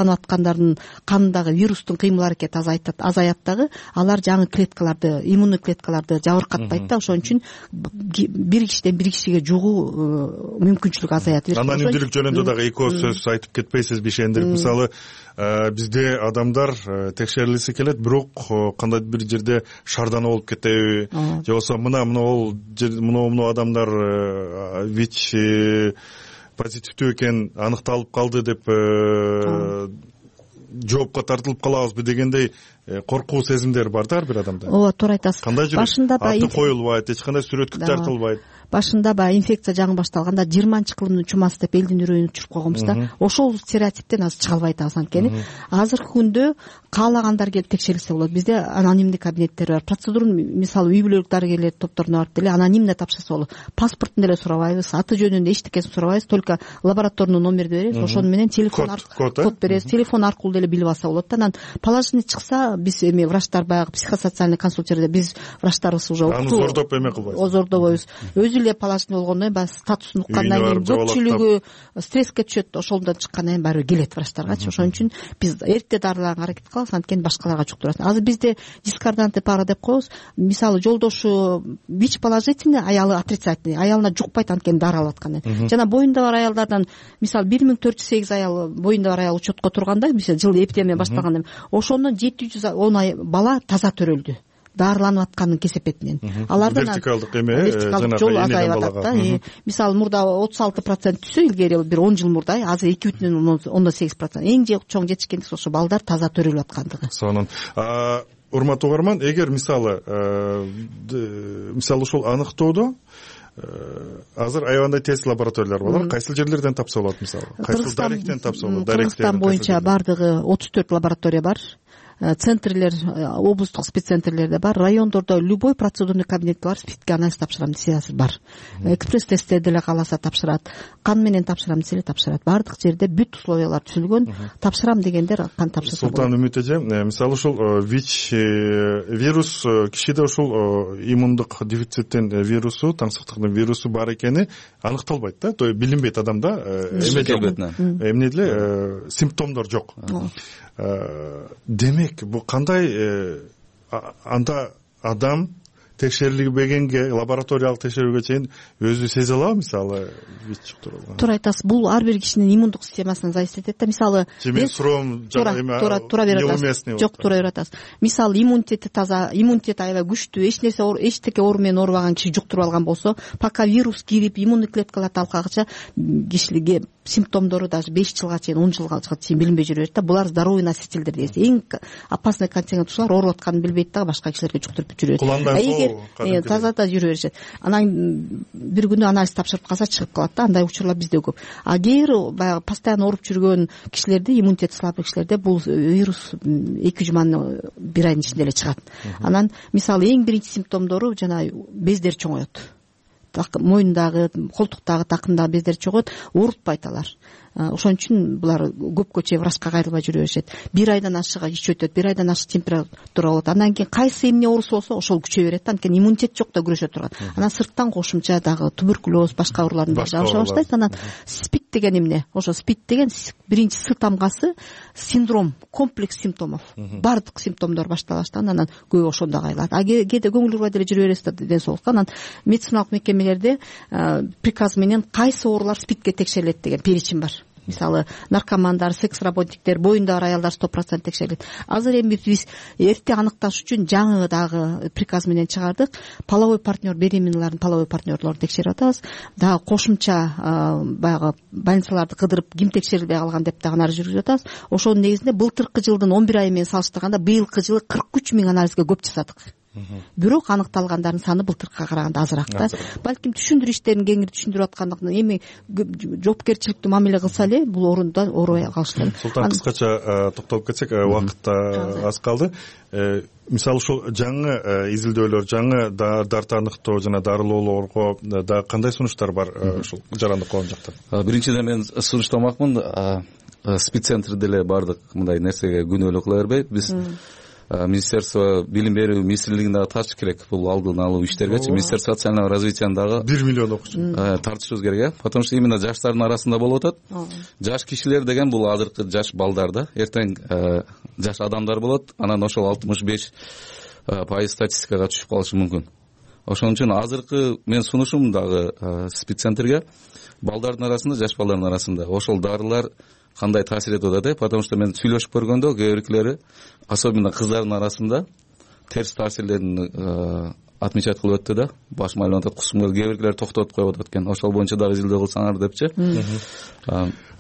S4: жараланып аткандардын канындагы вирустун кыймыл аракети азаят дагы, алар жаңы клеткаларды, иммундук клеткаларды жабыркатпайт да, ошон үчүн бир кишиден бир кишиге жугуу мүмкүнчүлүгү азаят.
S19: Анонимдүүлүк жөнүндө дагы эки ооз сөз айтып кетпейсизби ишендирип? Мисалы бизде адамдар текшерилгиси келет, бирок кандайдыр бир жерде шаардануу болуп кетеби же болбосо мына адамдар ВИЧ позитивдүү экен аныкталып калды деп жоопко тартылып калабызбы дегендей коркуу сезимдер бар да ар бир адамда.
S4: Ооба, туура айтасыз.
S19: Кандай жүрөт? Аты коюлбайт, эч кандай сүрөткө тартылбайт.
S4: Башында баягы инфекция жаңы башталганда 20-кылымдын чумасы деп элдин үрөйүн учуруп койгонбуз да. Ошол стереотиптен азыр чыга албай атабыз анткени. Азыркы күндө каалагандар келип текшерилсе болот. Бизде анонимдик кабинеттер бар. Процедураны мисалы үй бүлөлүк дарыгерлер топторуна барып деле анонимно тапшырса болот. Паспортун деле сурабайбыз, аты жөнүндө эчтекесин сурабайбыз, только лабораторный номерди беребиз, ошону менен телефон код беребиз, телефон аркылуу деле билип алса болот да. Анан положительный чыкса, биз эми врачтар баягы психосоциальный консультерлер, биз врачтарыбыз уже
S19: аны зордоп эме кылбайбыз.
S4: Зордобойбуз. Өзү эле положительный болгондон кийин баягы статусун уккандан кийин көпчүлүгү стресске түшөт, ошондон чыккандан кийин баары келет врачтаргачы. Ошон үчүн биз эрте дарылаганга аракет кылабыз, анткени башкаларга жуктурат. Азыр бизде дискорданты пара деп коебуз. Мисалы жолдошу ВИЧ положительный, аялы отрицательный, аялына жукпайт анткени дары алып аткандан. Жана боюнда бар аялдардан мисалы 1408 аял боюнда бар аял учетко турганда, мисалы жыл эпидемия башталганда ошондон 710 бала таза төрөлдү, дарыланып атканын кесепетинен. Алардан
S19: вертикалдык эме
S4: жол азайып атат да. Мисалы мурда 36% түшсө, илгери бир 10 жыл мурда, азыр 2,8%. Эң чоң жетишкендик ошо балдар таза төрөлүп аткандыгы.
S19: Сонун. Урматтуу угарман, эгер мисалы ушул аныктоодо азыр аябандай тест лабораториялар бар. Кайсыл жерлерден тапса болот мисалы? Кайсыл даректен тапса болот?
S4: Кыргызстан боюнча бардыгы 34 лаборатория бар. Центрлер, облустук спеццентрлерде бар, райондордо любой процедурный кабинет бар, спидке анализ тапшырам десе азыр бар. Экспресс тесттер деле кааласа тапшырат, кан менен тапшырам десе тапшырат. Бардык жерде бүт условиялар түзүлгөн. Тапшырам дегендер кан тапшырса болот.
S19: Султан Үмүт эже, мисалы ушул ВИЧ вирус кишиде ушул иммундук дефициттин вирусу, таңсыктыктын вирусу бар экени аныкталбайт да, то есть билинбейт адамда, эмне деле симптомдор жок. Демек, бул кандай анда адам текшерилбегенге, лабораториялык текшерүүгө чейин өзү сезе алабы мисалы ВИЧ жуктурган?
S4: Туура айтасыз. Бул ар бир кишинин иммундук системасынан зависит этет да. Мисалы
S19: мен суроом
S4: туура берип атасыз. Жок, туура берип атасыз. Мисалы иммунитети таза, иммунитет аябай күчтүү, эчтеке оору менен оорубаган киши жуктуруп алган болсо, пока вирус кирип иммундук клеткалар талкагыча кишилерге симптомдору даже 5 жылга чейин, 10 жылга чейин билинбей жүрөт да. Булар здоровый носительдер дейт. Эң опасный контингент ушулар ооруп атканын билбейт да, башка кишилерге жуктуруп жүрөт. Таза жүрө беришет. Анан бир күнү анализ тапшырып калса чыгып калат да, андай учурлар бизде көп. Агер баягы постоянно ооруп жүргөн кишилерде, иммунитети слабый кишилерде бул вирус 2 жуманын бир айдын ичинде эле чыгат. Анан мисалы эң биринчи симптомдору жана бездер чоңоет. Мойнундагы, колтуктагы, такымдагы бездер чоңоет, оорутпайт алар. Ошон үчүн булар көпкө чейин врачка кайрылбай жүрө беришет. Бир айдан ашыга ич өтөт, бир айдан ашык температура болот. Андан кийин кайсы эмне оорусу болсо ошол күчөй берет да, анткени иммунитет жок да күрөшө турган. Анан сырттан кошумча дагы туберкулез, башка оорулардын баары жабыша баштайт. Анан СПИД деген эмне? Ошо СПИД деген биринчи С тамгасы синдром, комплекс симптомов. Бардык симптомдор баштала баштаган, анан көбү ошондо кайрылат. Кээде көңүл бурбай деле жүрө бересиз да ден соолукка. Анан медициналык мекемелерде приказ менен кайсы оорулар СПИДке текшерилет деген перечень бар. Мисалы наркомандар, секс работниктер, боюнда бар аялдар 100% текшерилет. Азыр эми биз эрте аныкташ үчүн жаңы дагы приказ менен чыгардык. Половой партнер, беременналардын половой партнерлорун текшерип атабыз. Дагы кошумча баягы больницаларды кыдырып ким текшерилбей калган деп дагы анализ жүргүзүп атабыз. Ошонун негизинде былтыркы жылдын 11 айы менен салыштырганда быйылкы жылы 43 000 анализге көп жасадык. Бирок аныкталгандардын саны былтыркыга караганда азыраак да. Балким түшүндүрүү иштерин кеңири түшүндүрүп аткандыктан эми жоопкерчиликтүү мамиле кылса эле бул орунда оорубай калыштыр.
S19: Султан, кыскача токтолуп кетсек, убакыт аз калды. Мисалы ушул жаңы изилдөөлөр, жаңы дарты аныктоо жана дарылоолорго да кандай сунуштар бар ушул жарандык коом жактан?
S5: Биринчиден мен сунуштамакмын, спеццентр деле бардык мындай нерсеге күнөөлүү кыла бербей. Биз министерство билим берүү министрлигин дагы тартыш керек бул алдын алуу иштергечи. Министерство социального развитияны дагы
S19: 1 миллион окуучу
S5: тартышыбыз керек, потому что именно жаштардын арасында болуп атат. Жаш кишилер деген бул азыркы жаш балдар да, эртең жаш адамдар болот, анан ошол 65% статистикага түшүп калышы мүмкүн. Ошон үчүн азыркы мен сунушум дагы спеццентрге балдардын арасында, жаш балдардын арасында ошол дарылар кандай таасир этип атат, потому что мен сүйлөшүп көргөндө кээ биркилери, особенно кыздардын арасында терс таасирлерин отмечать кылып өттү да, башым айланып атат, кусум кээ биркилер токтотуп коюп атат экен, ошол боюнча дагы изилдөө кылсаңар депчи.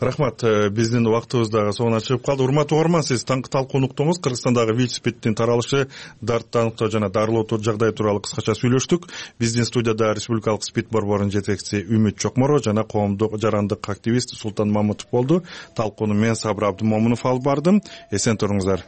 S19: Рахмат, биздин убактыбыз дагы соңуна чыгып калды. Урматтуу угарман, сиз таңкы талкуу уктуңуз. Кыргызстандагы ВИЧ-СПИДтин таралышы, дартты аныктоо жана дарылоо жагдайы тууралуу кыскача сүйлөштүк. Биздин студияда Республикалык СПИД борборунун жетекчиси Үмүт Чокморова жана коомдук жарандык активист Султан Мамытов болду. Талкууну мен Сабыр Абдымомунов алып бардым. Эсен туруңуздар.